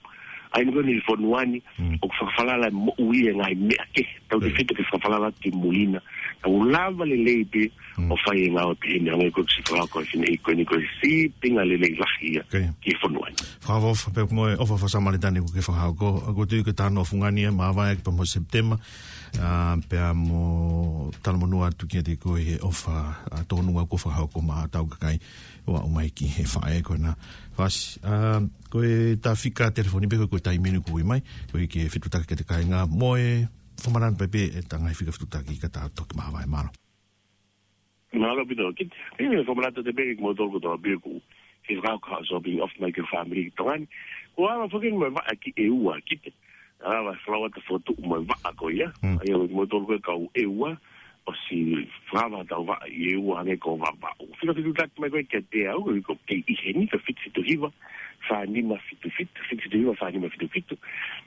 ʻa eni ko eni fonua ni, mm, ʻoku fakafalala moʻui e ngaahi meʻa kehe, tautefito ke fakafalala ki mui na. Ka ʻoku lava lelei pē, mm, ʻo fai e ngāue pē eni, hangē ko e siʻi fakahoko ʻe he fineʻeiki ko eni ko e sīpinga lelei lahi ia ki he fonua ni. Fakaʻofoʻofa pē mo e ʻofa faka-Samalitani ʻoku ke fakahoko, ʻoku ou tui ko e talanoa fungani ia, māvae ʻaki pea mo Sepitema, ʻa, pea mo talamonū atu kiate koe he ʻofa, ʻa, tōnunga kuo fakahoko maʻa hotau kakai. ʻO aʻu mai ki he faʻē ko ena. Fasi, ʻa, ko e tā fika telefoni pē ko e, ko e taimi eni ʻoku ui mai, ko e ke fetuʻutaki ki he kāinga mo e fakamanatu pē ʻe ta ngaahi fika fetuʻutaki ka ta toki māvae, mālō. Mālō ʻaupito, kiʻi te, kiʻi te fakamanatu atu pē kiate kimoutolu kotoa pē ʻoku fie fakahoko ha shopping ʻofa mai ki he fāmili ki Tonga ni. Ko e ala foki eni mo e vaʻa ki ʻEua, kiʻi te. ʻA, ʻa, flau atu fotu mo e vaʻa ko ia. Mm. ʻA ia, mo tolu ko e kau ʻEua, ʻosi fakava tau vaʻa ʻi ʻEua hangē ko Vavaʻu. Fika fetuʻutaki mai ko ē kiate au, ko e ʻi heni, ko e fitu fitu hiva, fā nima fitu fitu, fitu fitu hiva, fā nima fitu fitu.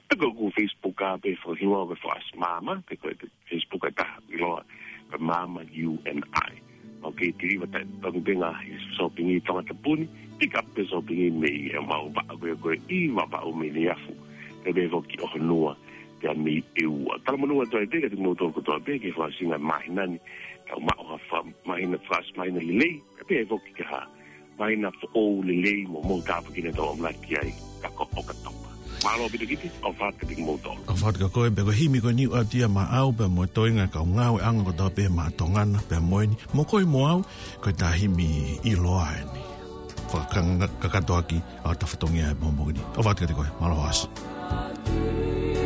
Pe ko ʻeku Facebook ʻa pē fakahingoa ko e Fakaʻosi Maama, pe ko e Facebook ʻe taha, ʻiloa, ko e Maama U N I. ʻOku kei tiliva taʻe, taʻe pē ngaahi shopping ʻi Tongatapu ni, pick up pē shopping mei he mau vaʻa ko ē ko ē ʻi Vavaʻu mei Neiafu, pea pehē foki ʻi ʻOhonua, pea mei ʻEua. Talamonū atu ai pē kiate kimoutolu kotoa pē ki he fakaʻosinga māhina ni, tau maʻu ha fa-, māhina fakaʻosi māhina lelei, pea pehē foki ki ha māhina foʻou lelei mo mou tāpuekina tau ʻamanaki ai, ka ko ʻOkatopa. Mālō ʻaupito kiʻi te, ʻofa atu kiate kimoutolu. ʻOfa atu kiate koe, pea ko e himi ko eni ʻoku ʻoatu ia maʻau, pea mo e toenga e kau ngāueʻanga kotoa pē maʻa Tonga na, pea mo eni, mo koe mo au, ko e tā himi ʻiloa eni. Fakakanga-, kakato ʻaki ʻa e tafatongia e momo ni. ʻOfa atu kiate koe, mālō ʻaupito.